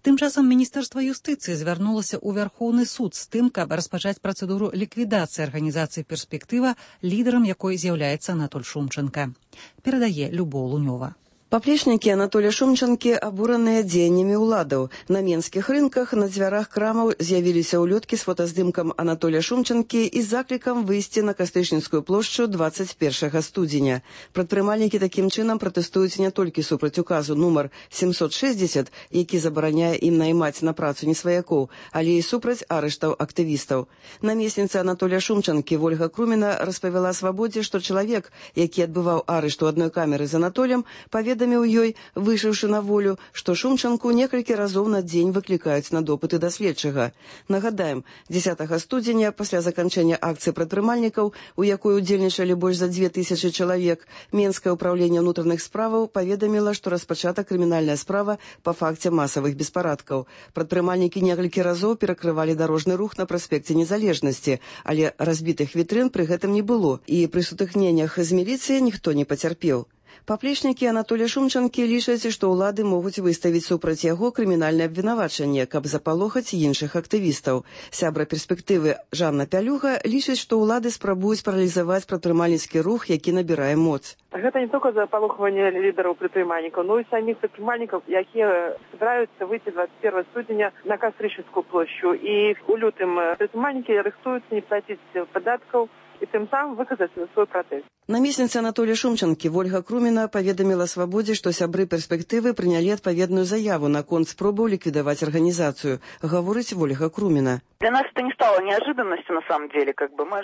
Тым часам Міністэрства юстыцыі звярнулася ў Вярхоўны суд з тым, каб распачаць працэдуру ліквідацыі арганізацыі «Перспектыва», лідарам якой з'яўляецца Анатоль Шумчанка. Перадае Любоў Лунёва. Паплечнікі Анатоля Шумчанкі абураныя дзеяннямі ўладаў. На менскіх рынках на дзвярах крамаў з'явіліся ўлёткі з фотаздымкам Анатоля Шумчанкі і заклікам выйсці на Кастычніцкую плошчу 21 студзеня. Прадпрымальнікі такім чынам пратэстуюць не толькі супраць указу нумар 760, які забараняе ім наймаць на працу несваякоў, але і супраць арыштаў актывістаў. Намесніца Анатоля Шумчанкі Вольга Круміна распавяла «Свабодзе», што чалавек, які адбываў арышт у адной камеры з Анатолем, паведаміў ёй, выйшаўшы на волю, што Шумчанку некалькі разоў на дзень выклікаюць на допыты да следчага. Нагадаем, 10 студзеня, пасля заканчэння акцыі прадпрымальнікаў, у якой удзельнічалі больш за 2000 чалавек, Менскае ўпраўленне ўнутраных справаў паведаміла, што распачата крымінальная справа па факце масавых беспарадкаў. Прадпрымальнікі некалькі разоў перакрывалі дарожны рух на праспекце Незалежнасці, але разбітых вітрын пры гэтым не было, і пры сутыкненнях з міліцыяй ніхто не пацярпеў. Паплечнікі Анатолія Шумчанкі лічаць, што ўлады могуць выставіць супраць яго крымінальнае абвінавачанне, каб запалохаць іншых актывістаў. Сябра перспектывы Жанна Пялюга лічыць, што ўлады спрабуюць паралізаваць прадпрымальніцкі рух, які набірае моц. Гэта не толькі запалохванне лідараў прадпрымальнікаў, но і саміх прадпрымальнікаў, якія збіраюцца выйти 21 студзеня на Кастрычніцкую плошчу. І ў лютым прадпрымальнікі рыхтуюцца не плаціць падаткаў і тым самым выказаць свой пратэст. Намесніца Анатолія Шумчанкі Вольга Круміна паведаміла «Свабодзе», што сябры перспектывы прынялі адпаведную заяву наконт спробаў ліквідаваць арганізацыю. Гаворыць Вольга Круміна. Для нас это не стало неожиданностью, на самом деле.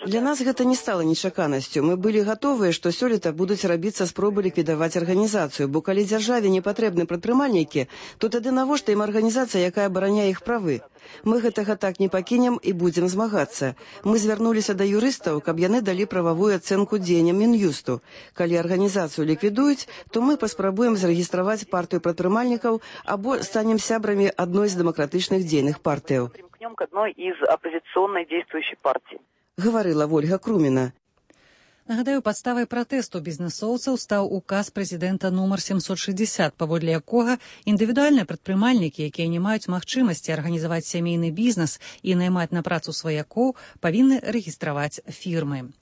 Для нас гэта не стала нечаканасцю. Мы былі гатовыя, што сёлета будуць рабіцца спробы ліквідаваць арганізацыю, бо калі дзяржаве не патрэбны прадпрымальнікі, то тады навошта ім арганізацыя, якая абараняе іх правы? Мы гэтага так не пакінем і будзем змагацца. Мы звярнуліся да юрыстаў, каб яны далі прававую ацэнку дзеянням Мін'юсту. Калі арганізацыю ліквідуюць, то мы паспрабуем зарэгістраваць партыю прадпрымальнікаў або станем сябрамі адной з дэмакратычных дзейных партыяў. К одной из оппозиционной действующей партии. Гаварыла Вольга Круміна. Нагадаю, падставай пратэсту бізнесоўцаў стаў указ прэзідэнта нумар 760, паводле якога індывідуальныя прадпрымальнікі, якія не маюць магчымасці арганізаваць сямейны бізнес і наймаць на працу сваякоў, павінны рэгістраваць фірмы.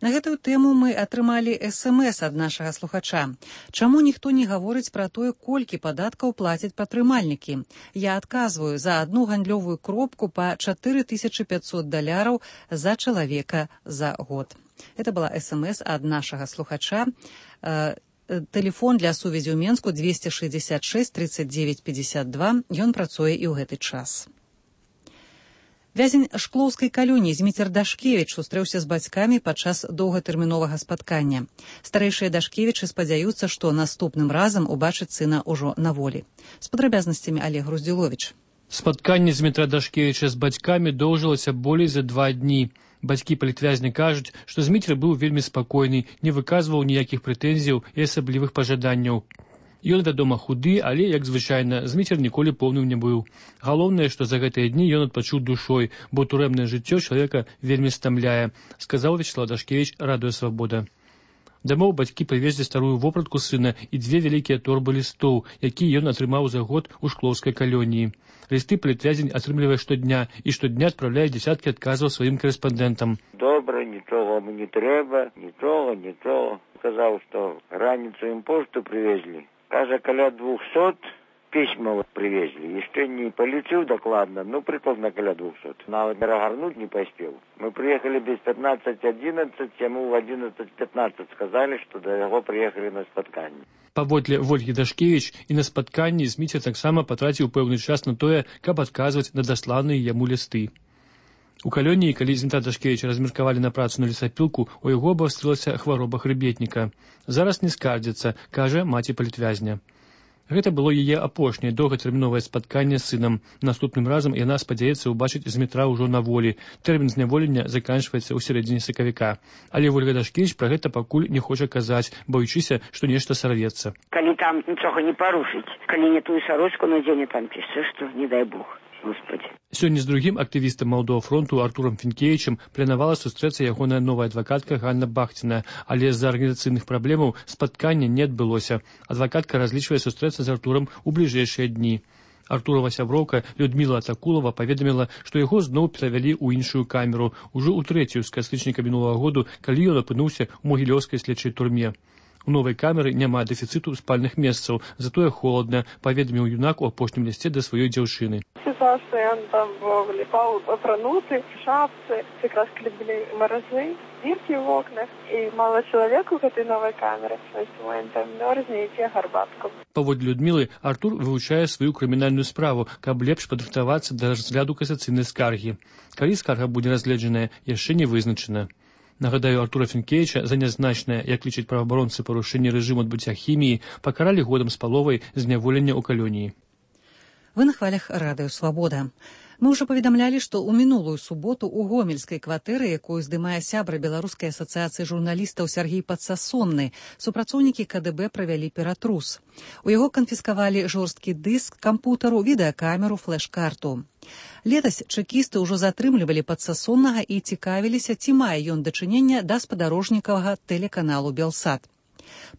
На гэтую тэму мы атрымалі СМС ад нашага слухача. Чаму ніхто не гаворыць пра тое, колькі падаткаў плацяць прадпрымальнікі? Я адказваю, за адну гандлёвую кропку па $4500 за чалавека за год. Это была СМС от нашего слухача. Телефон для сувязі ў Менску 266 39 52. Ён працуе і ў гэты час. Вязень шклоўскай калоніі Зміцер Дашкевіч сустрэўся з бацькамі падчас доўгатэрміновага спаткання. Старэйшыя Дашкевічы спадзяюцца, што наступным разам убачыць сына ўжо на волі. З падрабязнасцямі Олег Груздзіловіч. Спатканне Змітра Дашкевіча з бацькамі доўжылася болей за 2 дні. Бацькі палітвязня кажуць, што Зміцер быў вельмі спакойны, не выказваў ніякіх прэтэнзіяў і асаблівых пажаданняў. Ён, вядома, худы, але, як звычайна, Зміцер ніколі поўным не быў. Галоўнае, што за гэтыя дні ён адпачуў душой, бо турэмнае жыццё чалавека вельмі стамляе, сказаў Вячеслав Дашкевіч, Радыё Свабода. Дамоў бацькі прывезлі старую вопратку сына і 2 вялікія торбы лістоў, якія ён атрымаў за год у шклоўскай калоніі. Лісты палітвязень атрымлівае штодня і штодня адпраўляе дзясяткі адказаў сваім карэспандэнтам. Добра, нічога мне не трэба, нічога. Сказаў, што раніцу ім пошту прывезлі. Кажа, каля 200 пісьмаў прывезлі. Яшчэ не палічыў дакладна, прыкладна каля 200. Нават перагарнуць не паспеў. Мы прыехалі без 15:11, яму в 11:15 сказалі, што да яго прыехалі на спатканне. Паводле Вольгі Дашкевіч і на спатканні Зміцер таксама патраціў пэўны час на тое, каб адказваць на дасланыя яму лісты. У калоніі, калі Змітра Дашкевіча размеркавалі на працу на лесапілку, у яго абвастрылася хвароба хрыбетніка. Зараз не скардзіцца, кажа маці палітвязня. Гэта было яе апошняе доўгатэрміновае спатканне з сынам. Наступным разам яна спадзяецца ўбачыць Змітра ўжо на волі. Тэрмін зняволення заканчваецца ў сярэдзіне сакавіка. Але Вольга Дашкевіч пра гэта пакуль не хоча казаць, баючыся, што нешта сарвецца. Калі там нічога не парушыць, калі не тую сарочку надзене, там піша, што не дай Бог. Господи. Сёння з другім актывістам Малдового фронту Артурам Фінкевічам планавала сустрэцца ягоная новая адвакатка Ганна Бахціна, але з-за арганізацыйных праблемаў спаткання не адбылося. Адвакатка разлічвае сустрэцца з Артурам у бліжэйшыя дні. Артурова сяброўка Людміла Атакулова паведаміла, што яго зноў перавялі ў іншую камеру, ужо ў 3-ю з кастрычніка мінулага году, калі ён апынуўся ў Могілёўскай следчай турме. У новай камеры няма дэфіцыту спальных месцаў, затое холодна, паведаміў юнак у апошнім лісце да сваёй дзяўчыны. Ситуация, он там липал апрануты, шапцы, как раз были морозы, дырки в окнах, и мало человека в этой новой камере, то есть он там мерзнет и пьет гарбатку. Паводле Людмілы, Артур вывучае сваю крымінальную справу, каб лепш падрыхтавацца да разгляду касацыйнай скаргі. Калі скарга будзе разгледжаная, яшчэ не вызначана. Нагадаю, Артура Фінкевіча за нязначнае, як лічаць праваабаронцы, парушэнне рэжыму адбыцця хіміі пакаралі годам з паловай зняволення ў калоніі. Вы на хвалях Радыё Свабода. Мы ўжо паведамлялі, што ў мінулую суботу ў гомельскай кватэры, якую здымае сябра Беларускай асацыяцыі журналістаў Сяргей Падсасонны, супрацоўнікі КДБ правялі ператрус. У яго канфіскавалі жорсткі дыск, кампутару, відэакамеру, флэш-карту. Летась чэкісты ўжо затрымлівалі Падсасоннага і цікавіліся, ці мае ён дачынення да спадарожнікавага тэлеканалу «Белсат».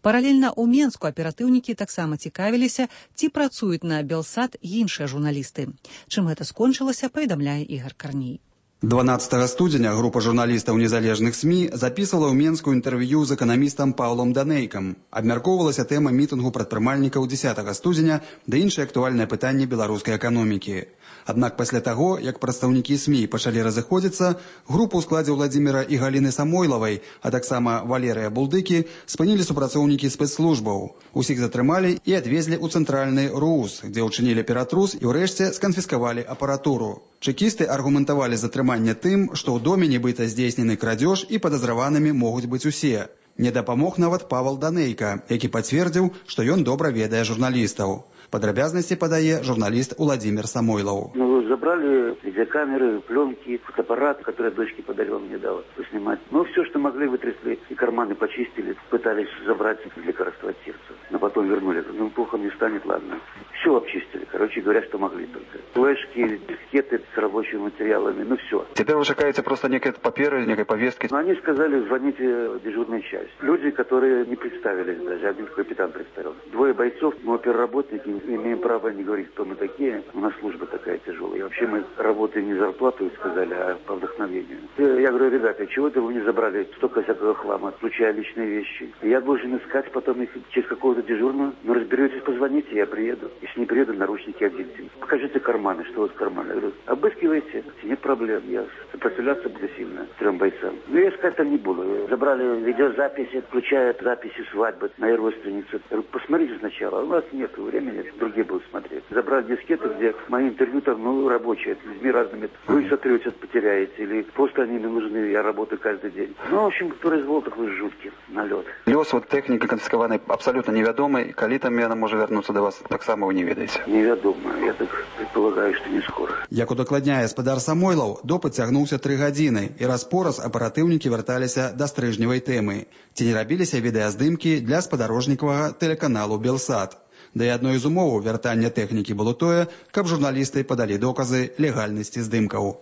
Паралельна ў Менску аператыўнікі таксама цікавіліся, ці працуюць на Белсат іншыя журналісты. Чым гэта скончылася, паведамляе Ігор Карней. 12 студзеня група журналістаў незалежных СМІ запісвала ў Менску інтэрв'ю з эканамістам Паўлом Данейкам. Абмяркоўвалася тэма мітынгу прадпрымальнікаў 10 студзеня ды іншыя актуальныя пытанні беларускай эканомікі. Аднак пасля таго, як прадстаўнікі СМІ пачалі разыходзіцца, групу ў складзе Владзіміра і Галіны Самойлавай, а таксама Валерыя Булдыкі, спынілі супрацоўнікі спецслужбаў. Усіх затрымалі і адвезлі ў цэнтральны РУС, дзе ўчынілі ператрус і ўрэшце сканфіскавалі апаратуру. Чэкісты аргументавалі затрыманне тым, што ў доме нібыта здзейснены крадзеж і падазраванымі могуць быць усе. Не дапамог нават Павал Данейка, які пацвердзіў, што ён добра ведае журналістаў. Падрабязнасці падае журналіст Владимир Самойлов. Забрали видеокамеры, пленки, фотоаппарат, который дочке подарил, мне дала поснимать. Все, что могли, вытрясли и карманы почистили, пытались забрать лекарства от сердца. Но потом вернули. Плохо мне станет, ладно. Все обчистили. Короче говоря, что могли только. Флешки, дискеты с рабочими материалами, все. Теперь вы чекаете просто некие паперы, некие повестки? Они сказали, звоните в дежурную часть. Люди, которые не представились даже, один капитан представил. 2 бойцов, мы оперработники, имеем право не говорить, кто мы такие. У нас служба такая тяжелая. И вообще мы работаем не зарплату, сказали, а по вдохновению. Я говорю, ребята, чего это вы не забрали столько всякого хлама, включая личные вещи? Я должен искать потом их через какого-то дежурного. Разберетесь, позвоните, я приеду. Если не приеду, наручники оденьте. Покажите карманы, что у вас в кармане. Я говорю, обыскивайте, нет проблем. Я сопротивляться буду сильно 3 бойцам. Я искать там не буду. Забрали видеозаписи, включая записи свадьбы моей родственницы. Я говорю, посмотрите сначала. У нас нет времени, другие будут смотреть. Забрали дискеты, где мои интервью там, рабочие, с людьми разными. Вы сотрете, потеряете, или просто они не нужны, я работаю каждый день. В общем, произвол такой жуткий налет. Лёс тэхнікі канфіскаванай абсалютна невядомы, калі там яна можа вярнуцца да вас, таксама вы не ведаеце. Невядома, я так предполагаю, што не скоро. Як удакладняе спадар Самойлаў, допыт цягнуўся 3 гадзіны, і раз-пораз аператыўнікі вярталіся да стрыжневай тэмы. Ці не рабіліся відэаздымкі для спадарожнікавага тэлеканалу Белсат. Да і адной з умоваў вяртання тэхнікі было тое, каб журналісты падалі доказы легальнасці здымкаў.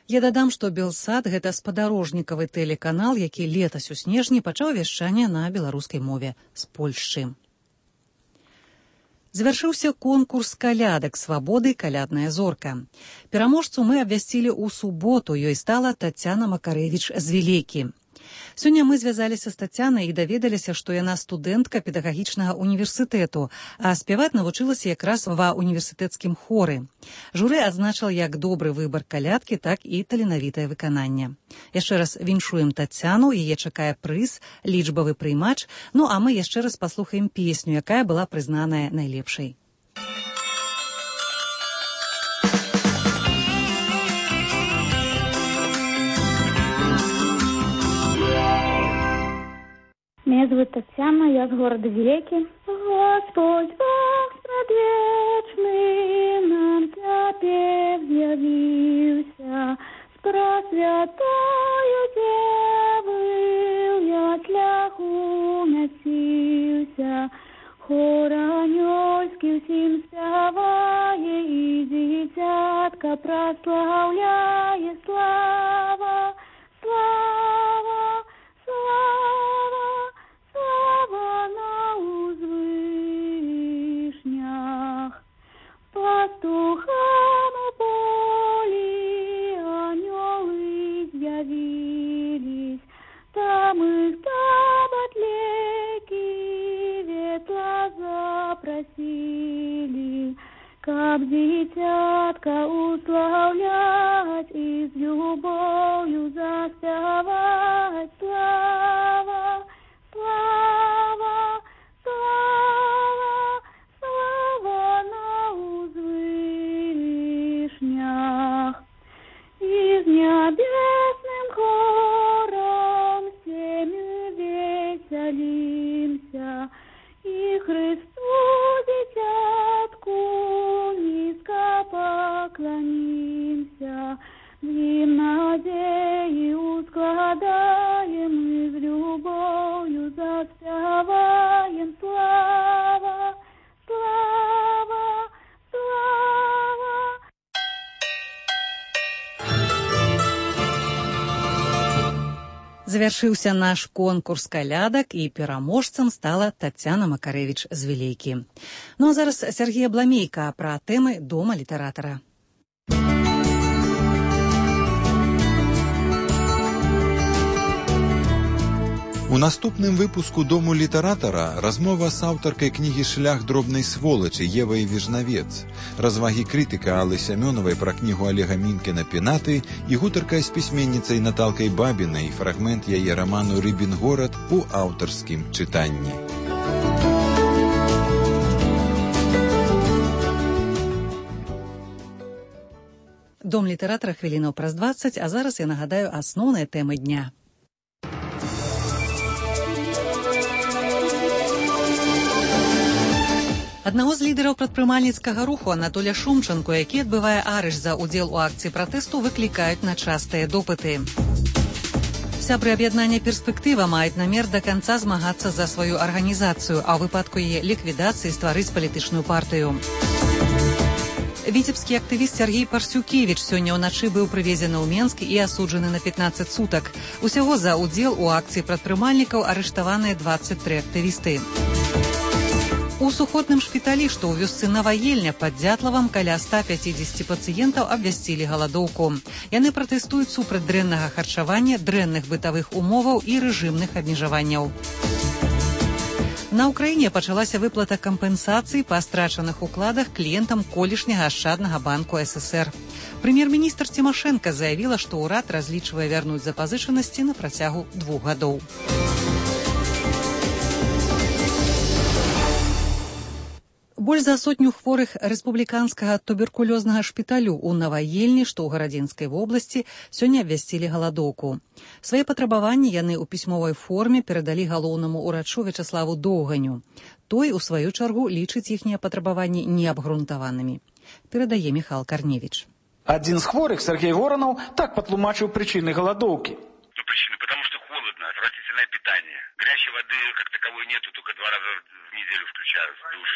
Я дадам, што Белсат – гэта спадарожнікавы тэлеканал, які летась у снежні пачаў вяшчанне на беларускай мове з Польшчы. Завяршыўся конкурс калядак «Свабоды. Калядная зорка». Пераможцу мы абвясцілі ў суботу, ёй стала Тацяна Макарэвіч з Вілекі. Сёння мы звязаліся з Тацянай і даведаліся, што яна студэнтка педагагічнага універсітэту, а спяваць навучылася якраз ва універсітэцкім хоры. Журы адзначыла як добры выбар калядкі, так і таленавітае выкананне. Яшчэ раз віншуем Тацяну, яе чакае прыз, лічбавы прыймач, а мы яшчэ раз паслухаем песню, якая была прызнаная найлепшай. Меня зовут Татьяна, я с города Вилеки. Господь Бог предвечный нам теперь явился, с пресвятою Девою я тляху носился, хор анёльский всем спявае и дитятка прославляе. Слава, слава, слава, слава на узвышнях. Пастухам у полі анёлы з'явились, там их таботлеки ветла запросили, каб дитятка уславлять и с любовью заспевать. Слава, слава, слава, слава на узвышнях. И с небесным хором всеми веселимся, и Христу дитятку низко поклонимся. Им надеи ускладаем и с любовью заспеваем. Слава, слава, слава. Завяршыўся наш конкурс калядак, і пераможцам стала Тацяна Макарэвіч з Вілейкі. Ну а зараз Сергей Абламейка пра тэмы Дома літаратара. У наступным выпуску «Дому літаратара» размова з аўтаркай кнігі «Шлях дробнай сволачы» Евай Віжнавец, развагі крытыка Аллы Сямёнавай пра кнігу Олега Мінкіна «Пенаты» і гутарка з пісьменніцай Наталкай Бабінай, фрагмент яе раману «Рыбін горад» у аўтарскім чытанні. Дом літаратара хвілінаў праз 20, а зараз я нагадаю асноўныя тэмы дня. Аднаго з лідараў прадпрымальніцкага руху Анатоля Шумчанку, які адбывае арышт за ўдзел у акцыі пратэсту, выклікаюць на частыя допыты. Сябры аб'яднання «Перспектыва» маюць намер да канца змагацца за сваю арганізацыю, а ў выпадку яе ліквідацыі стварыць палітычную партыю. Віцебскі актывіст Сергей Парсюкевіч сёння ўначы быў прывезены ў Менск і асуджаны на 15 сутак. Усяго за ўдзел у акцыі прадпрымальнікаў арыштаваныя 23 актывісты. У сухотным шпіталі, што ў вёсцы Наваельня пад Дзятлавам, каля 150 пацыентаў абвясцілі галадоўку. Яны пратэстуюць супраць дрэннага харчавання, дрэнных бытавых умоваў і рэжымных абмежаванняў. На ўкраіне пачалася выплата кампенсацый па страчаных укладах кліентам колішняга ашчаднага банку ССР. Прэм'ер-міністр Цімашэнка заявіла, што ўрад разлічвае вярнуць запазычанасці на працягу 2 гадоў. Больш за 100 хворых рэспубліканскага туберкулёзнага шпіталю ў Наваельні, што ў Гарадзінскай вобласці, сёння абвясцілі галадоўку. Свае патрабаванні яны ў пісьмовай форме перадалі галоўнаму ўрачу Вячаславу Доўганю. Той, у сваю чаргу, лічыць іхнія патрабаванні неабгрунтаванымі. Перадае Міхал Карневіч. Адзін з хворых, Сергей Воронов, так патлумачыў прычыны галадоўкі. Причины, потому что холодно, отвратительное питание. Горячей воды как таковой нету, только 2 раза в неделю включают в душ.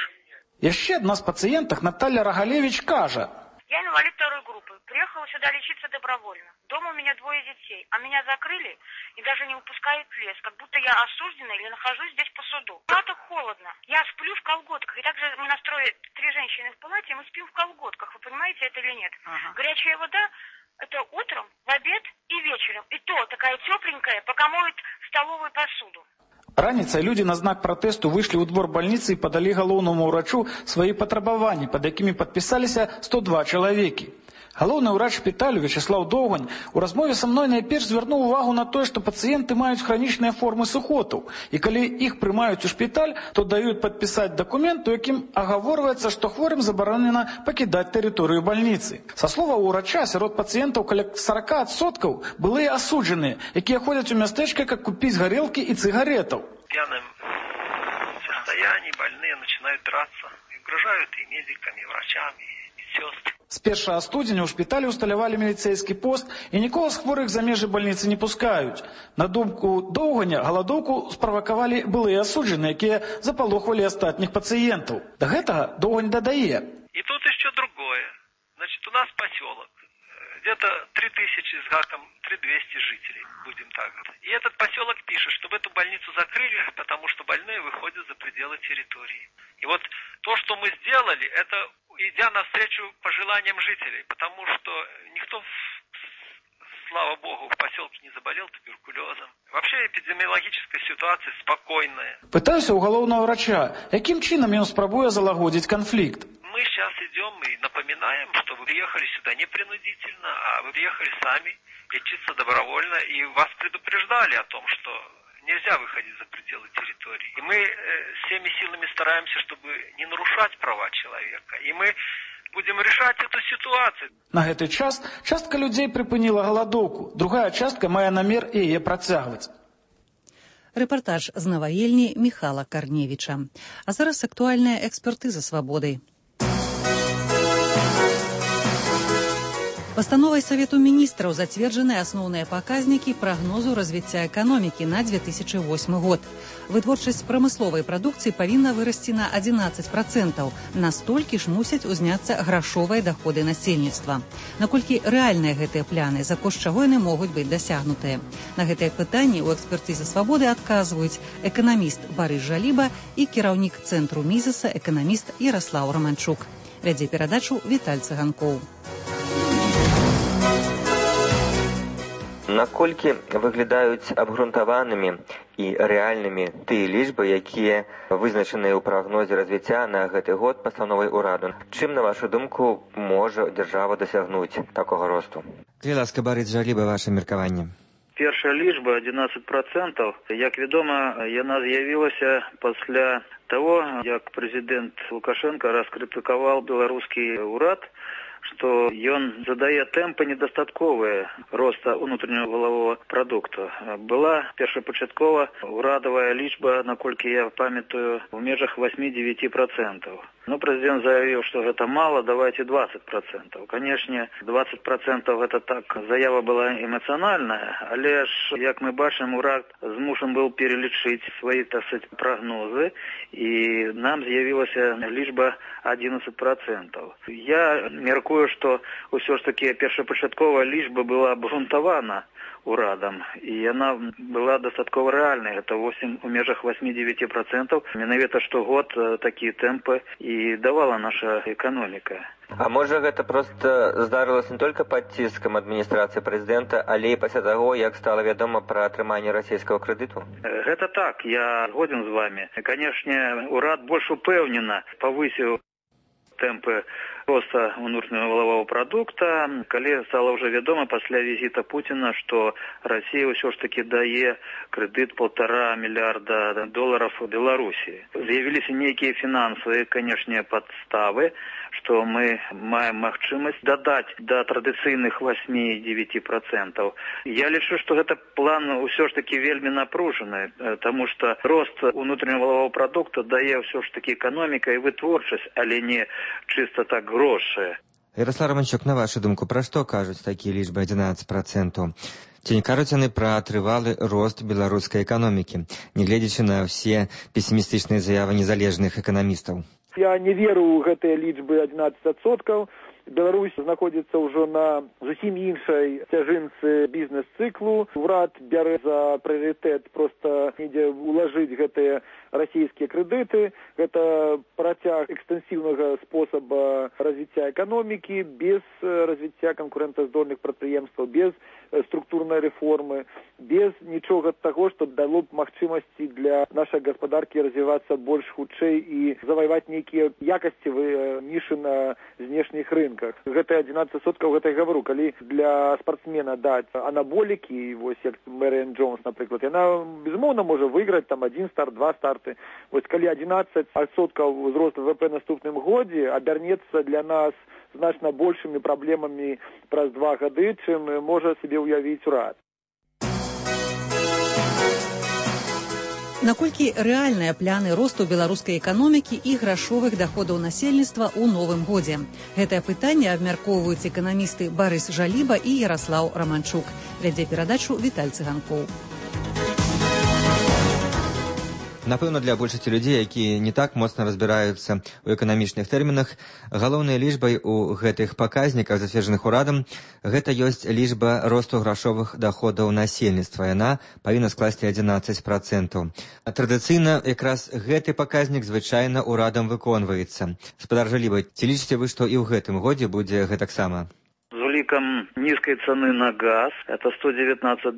Яшчэ адна з пацыентак, Наталья Рогалевич, кажа: Я инвалид 2 группы. Приехала сюда лечиться добровольно. Дома у меня 2 детей, а меня закрыли и даже не выпускают в лес, как будто я осуждена или нахожусь здесь по суду. Так холодно. Я сплю в колготках. И также мы настроили 3 женщины в палате, и мы спим в колготках. Вы понимаете это или нет? Горячая вода — это утром, в обед и вечером. И то такая тепленькая, пока моют столовую посуду. Раніцай людзі на знак пратэсту выйшлі ў двор бальніцы і падалі галоўнаму ўрачу свае патрабаванні, пад якімі падпісаліся 102 чалавекі. Галоўны ўрач шпіталю Вячаслаў Доўгань у размове са мной найперш звярнуў увагу на тое, што пацыенты маюць хранічныя формы сухотаў, і калі іх прымаюць у шпіталь, то даюць падпісаць дакумент, у якім агаворваецца, што хворым забаронена пакідаць тэрыторыю бальніцы. Са словаў ўрача, сярод пацыентаў каля 40% былыя асуджаныя, якія ходзяць у мястэчка, каб купіць гарэлкі і цыгаретаў. В пьяном состоянии больные начинают драться, и угрожают и медикам, и врачам, и медсестрам. З 1 студзеня ў шпіталі ўсталявалі міліцэйскі пост, і нікога з хворых за межы бальніцы не пускаюць. На думку Доўганя, галадоўку справакавалі былыя асуджаныя, якія запалохвалі астатніх пацыентаў. Да гэтага Доўгань дадае. И тут еще другое. Значит, у нас поселок. Где-то 3000 с гаком, 3200 жителей, будем так. И этот поселок пишет, чтобы эту больницу закрыли, потому что больные выходят за пределы территории. И вот то, что мы сделали, это идя навстречу пожеланиям жителей, потому что никто, слава богу, в поселке не заболел туберкулезом. Вообще эпидемиологическая ситуация спокойная. Пытаюся у галоўнага врача, якім чынам ён спрабуе залагодзіць канфликт. Мы сейчас идем и напоминаем, что вы приехали сюда не принудительно, а вы приехали сами лечиться добровольно, и вас предупреждали о том, что нельзя выходить за пределы территории. И мы всеми силами стараемся, чтобы не нарушать права человека. И мы будем решать эту ситуацию. На гэты час частка людзей прыпыніла галадоўку, другая частка мае намер яе працягваць. Рэпартаж з Наваельні Міхала Карневіча. А зараз актуальная экспертыза свабодай. Пастановай Савету міністраў зацверджаны асноўныя паказнікі прагнозу развіцця эканомікі на 2008 год. Вытворчасць прамысловай прадукцыі павінна вырасці на 11%. Настолькі ж мусяць узняцца грашовыя даходы насельніцтва. Наколькі рэальныя гэтыя пляны, за кошт чаго яны могуць быць дасягнутыя? На гэтыя пытанні ў экспертызе «Свабоды» адказваюць эканаміст Барыс Жаліба і кіраўнік цэнтру Мізеса эканаміст Яраслаў Раманчук. Вядзе перадачу Віталь Цыганкоў. Наколькі выглядаюць абгрунтаванымі і рэальнымі тыя лічбы, якія вызначаныя ў прагнозе развіцця на гэты год пастановай ураду? Чым, на вашу думку, можа дзяржава дасягнуць такога росту? Калі ласка, Барыс Жаліба, ваше меркаванне. Першая лічба 11%. Як вядома, яна з'явілася пасля таго, як прэзідэнт Лукашенко раскрытыкаваў беларускі ўрад, што ён задае тэмпы недастатковыя роста ўнутраннага валавога прадукту. Была першапачаткова ўрадавая лічба, наколькі я памятаю, у межах 8-9%. Но прэзідэнт заявіў, што гэта мала, давайте 20%. Канешне, 20% гэта так, заява была эмацыянальная, але ж, як мы бачым, урад змушан быў пералічыць свае, так сказать, прагнозы, і нам з'явілася лічба 11%. Я меркую, што ўсё ж таки першапачатковая лічба была абгрунтавана урадам, і яна была дастаткова рэальнай, гэта у межах 8-9%. Менавіта штогод такія тэмпы і давала наша эканоміка. А можа гэта проста здарылася не толькі пад ціскам адміністрацыі прэзідэнта, але і пасля таго, як стала вядома пра атрыманне расійскага крэдыту? Гэта так, я згоден з вами. Канешне, урад больш упэўнена павысіў тэмпы роста ўнутранага валавога прадукта, калі стала ўжо вядома пасля візіта Пуціна, што Расія ўсё ж таки дае крэдыт $1,5 мільярда Беларусі. З'явіліся нейкія фінансавыя, канешне, падставы, што мы маем магчымасць дадаць да традыцыйных 8-9%. Я лічу, што гэта план ўсё ж таки вельмі напружаны, таму што рост ўнутранага валавога прадукта дае ўсё ж таки эканоміка і вытворчасць, але не чыста так грошы. Яраслаў Раманчук, на вашу думку, пра што кажуць такія лічбы 11%? Ці не кажуць яны пра трывалы рост беларускай эканомікі, нягледзячы на ўсе песімістычныя заявы незалежных эканамістаў? Я не веру ў гэтыя лічбы 11%. Беларусь знаходзіцца ўжо на зусім іншай цяжынцы бізнес-цыклу. Урад бярэ за прыярытэт проста недзе улажыць гэтыя расійскія крэдыты. Гэта працяг экстэнсіўнага спосаба развіцця эканомікі, без развіцця канкурэнтаздольных прадпрыемстваў, без структурнай рэформы, без нічога таго, што дало б магчымасці для нашай гаспадаркі развівацца больш хутчэй і заваяваць нейкія якасцевыя нішы на знешніх рынках. Гэта 11%, гэта я гавару. Калі для спартсмена даць анаболікі, вось як Мэрыан Джонс, напрыклад, яна, безумоўна, можа выйграць там 1 старт, 2 старты. Вось калі 11% ўзрост ВВП наступным годзе абярнецца для нас значна большымі праблемамі праз 2 гады, чым можа сабе ўявіць урад. Наколькі рэальныя пляны росту беларускай эканомікі і грашовых даходаў насельніцтва ў новым годзе? Гэтае пытанне абмяркоўваюць эканамісты Барыс Жаліба і Яраслаў Раманчук. Вядзе перадачу Віталь Цыганкоў. Напэўна, для большасці людзей, якія не так моцна разбіраюцца ў эканамічных тэрмінах, галоўнай лічбай у гэтых паказніках, зацверджаных урадам, гэта ёсць лічба росту грашовых даходаў насельніцтва. Яна павінна скласці 11%. Традыцыйна якраз гэты паказнік звычайна урадам выконваецца. Спадар Жаліба, ці лічыце вы, што і ў гэтым годзе будзе гэтаксама? З улікам нізкай цаны на газ, это $119,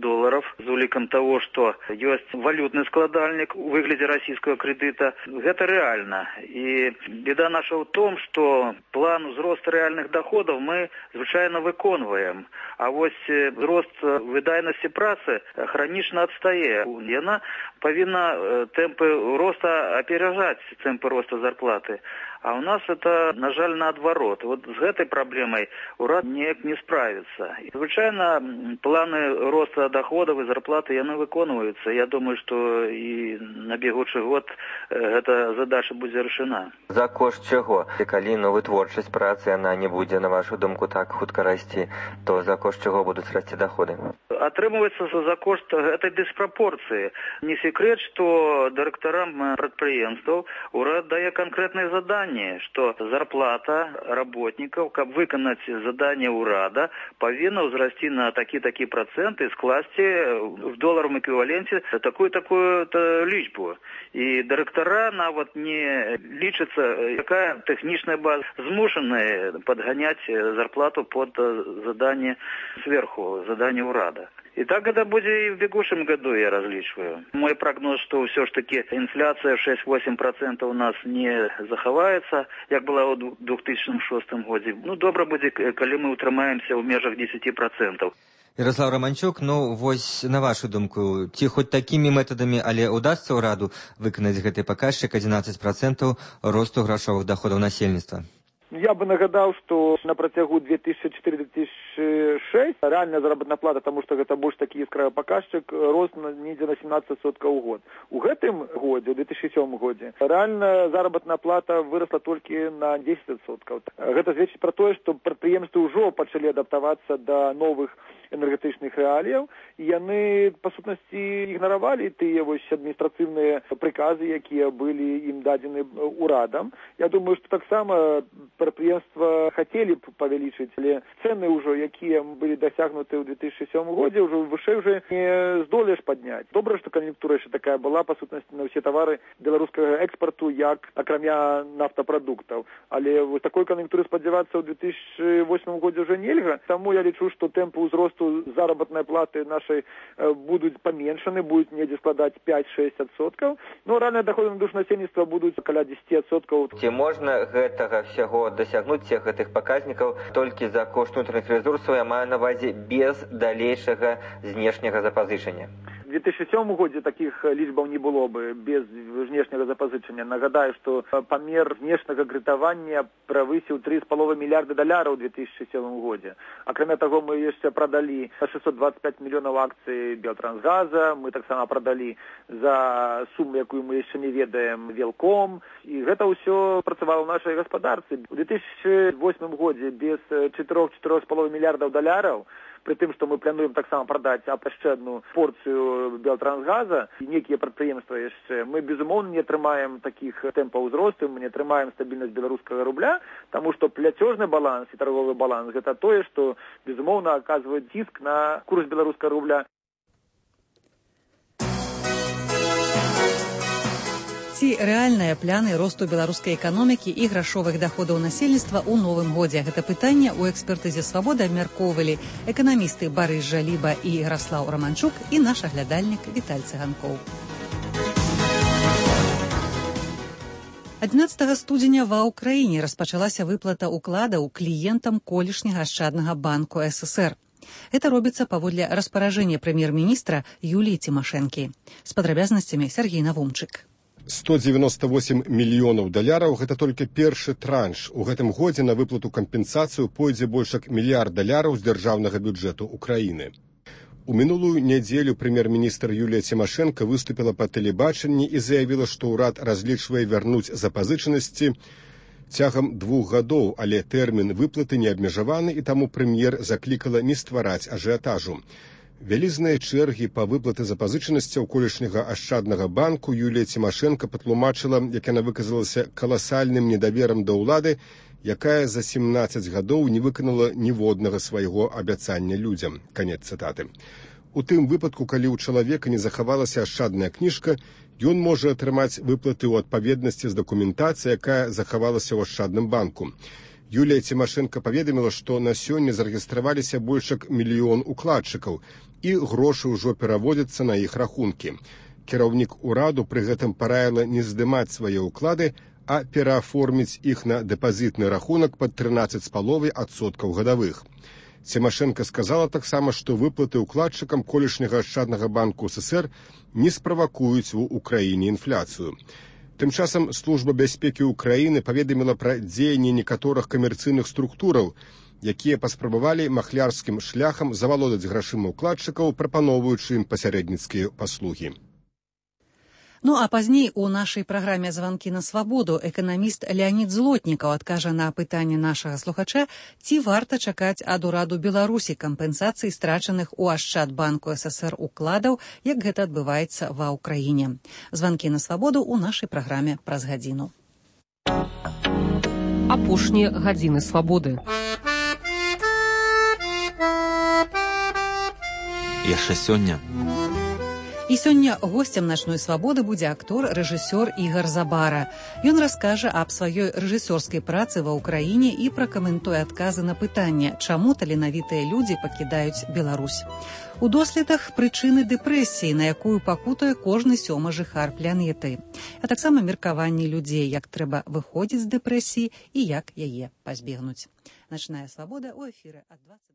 з улікам того, што ёсць валютны складальнік у выглядзе расійскага крэдыта, гэта рэальна. І беда наша ў том, што план узросту рэальных доходаў мы звычайна выконваем, а вось рост выдайнасці працы хранічна адстае. Яна павінна тэмпы роста аперажаць тэмпы роста зарплаты. А у нас это, на жаль, наадварот. Вот з гэтай праблемай урад неяк не справіцца. Звычайна планы роста доходов і зарплаты яны выконваюцца. Я думаю, што і на бегучы год гэта задача будзе рашена. За кошт чаго? І калі вытворчасць працы яна не будзе, на вашу думку, так хутка расці, то за кошт чаго будуць расці доходы? Атрымліваецца за кошт этой диспропорции. Не секрет, что директорам предприятий уряд дае конкретные задания, что зарплата работников, как выполнить задание уряда, повинна возрасти на такие проценты, скласти в долларовом эквиваленте такую-то личбу. И директора навод не лічится, какая техничная база, змушены подгонять зарплату под задание сверху, задание уряда. И так это будет и в бегущем году, я различиваю. Мой прогноз, что все ж таки инфляция 6-8% у нас не заховается, как была в 2006 году. Добро будет, коли мы утрымаемся в межах 10%. Ярослав Романчук, вось на вашу думку, ці хоць такімі метадамі, але удасца ўраду выканаць гэты паказчык 11% росту грашовых доходаў насельніцтва? Я бы нагадал, что на протягу 2004-2006 реальная заработная плата, потому что это больше таки яскравый показчик, рост недзе на 17% у год. У гэтым годзе, у 2007 годзе, реальная заработная плата выросла только на 10%. Гэта сведчыць про то, что прадпрыемствы ўжо пачалі адаптавацца до новых энергетычных реаліяў, і яны, па сутнасці, ігнаравалі тыя адміністрацыйныя прыказы, якія былі ім дадзены урадам. Я думаю, што таксама прадпрыемства хацелі б павялічыць, але цэны ўжо, якія былі дасягнуты ў 2007 годзе, ўжо вышэй уже не здолееш падняць. Добра, што кан'юнктура яшчэ такая была, па сутнасці, на ўсе тавары беларускага экспарту, як акрамя нафтапрадуктаў. Але вось такой кан'юнктуры спадзявацца ў 2008 годзе ўжо нельга. Таму я лічу, што тэмпы ўзросту заработной платы нашей будут поменьшаны, будет недзе складать 5-6%, но реальные доходы на душу насельніцтва будут каля 10%. Ці можна гэтага всяго дасягнуць всех гэтых паказнікаў толькі за кошт внутренних ресурсов, я маю на увазе без далейшага знешняга запазычання? В 2007 годзе таких лічбаў не было бы без внешняга запазычання. Нагадаю, што памер знешняга крэдытавання правысіў $3,5 мільярда ў 2007 годзе. Акрамя таго, мы яшчэ прадалі 625 мільёнаў акцый Белтрансгаза, мы таксама прадалі за суму, якую мы яшчэ не ведаем, Велком, і гэта ўсё працавала ў нашай гаспадарцы. У 2008 годзе без $4-4,5 мільярдаў при тым, што мы плануем таксама прадаць яшчэ одну порцыю Белтрансгаза і некія прадпрыемствы яшчэ, мы, безумоўна, не атрымаем такіх тэмпаў узросту, мы не атрымаем стабільнасць беларускага рубля, таму што пляцёжны баланс і торговы баланс – гэта тое, што, безумоўна, аказвае ціск на курс беларускага рубля. Ці рэальныя пляны росту беларускай эканомікі і грашовых даходаў насельніцтва ў новым годзе? Гэта пытанне ў экспертызе «Свабода» абмяркоўвалі эканамісты Барыс Жаліба і Ярослав Романчук і наш аглядальнік Віталь Цыганкоў. 11 студзеня ва ўкраіне распачалася выплата ўкладаў кліентам колішняга ашчаднага банку СССР. Это робіцца паводле распаражэння прэм'ер-міністра Юліі Цімашэнкі. З падрабязнасцямі Сергей Навумчык. $198 мільёнаў – гэта толькі першы транш. У гэтым годзе на выплату кампенсацыю пойдзе больш як $1 мільярд з дзяржаўнага бюджэту Украіны. У мінулую нядзелю прэм'ер-міністр Юлія Цімашэнка выступіла па тэлебачанні і заявіла, што ўрад разлічвае вярнуць запазычанасці цягам 2 гадоў, але тэрмін выплаты не абмежаваны, і таму прэм'ер заклікала не ствараць ажыятажу. Вялізныя чэргі па выплаты запазычанасцяў колішняга ашчаднага банку Юлія Цімашэнка патлумачыла, як яна выказалася, каласальным недаверам да ўлады, якая за 17 гадоў не выканала ніводнага свайго абяцання людзям. Канец цытаты. У тым выпадку, калі ў чалавека не захавалася ашчадная кніжка, ён можа атрымаць выплаты ў адпаведнасці з дакументацыяй, якая захавалася ў ашчадным банку. Юлія Цімашэнка паведаміла, што на сёння зарэгістраваліся больш як 1 мільён укладчыкаў, і грошы ўжо пераводзяцца на іх рахункі. Кіраўнік ураду пры гэтым параіла не здымаць свае ўклады, а перааформіць іх на дэпазітны рахунак пад 13,5% гадавых. Цімашэнка сказала таксама, што выплаты ўкладчыкам колішняга ашчаднага банку СССР не справакуюць у Украіне інфляцыю. Тым часам служба бяспекі ўкраіны паведаміла пра дзеянні некаторых камерцыйных структураў, якія паспрабавалі махлярскім шляхам завалодаць грашыма ўкладчыкаў, прапаноўваючы ім пасярэдніцкія паслугі. Ну а пазней у нашай праграме «Званкі на свабоду» эканаміст Леонід Злотнікаў адкажа на пытанне нашага слухача, ці варта чакаць ад ураду Беларусі кампенсацыі страчаных у Ашчадбанку ССР укладаў, як гэта адбываецца ва ўкраіне. «Званкі на свабоду» у нашай праграме праз гадзіну. Апошнія гадзіны свабоды. Яшчэ сёння. І сёння госцем начной свабоды будзе актор, рэжысёр Ігар Забара. Ён раскажа аб сваёй рэжысёрскай працы ва ўкраіне і пракаментуе адказы на пытанне, чаму таленавітыя людзі пакідаюць Беларусь. У доследах прычыны дэпрэсіі, на якую пакутуе кожны 7-ы жыхар планеты. А таксама меркаванні людзей, як трэба выходзіць з дэпрэсіі і як яе пазбегнуць. Начная свабода ў эфіры ад 20.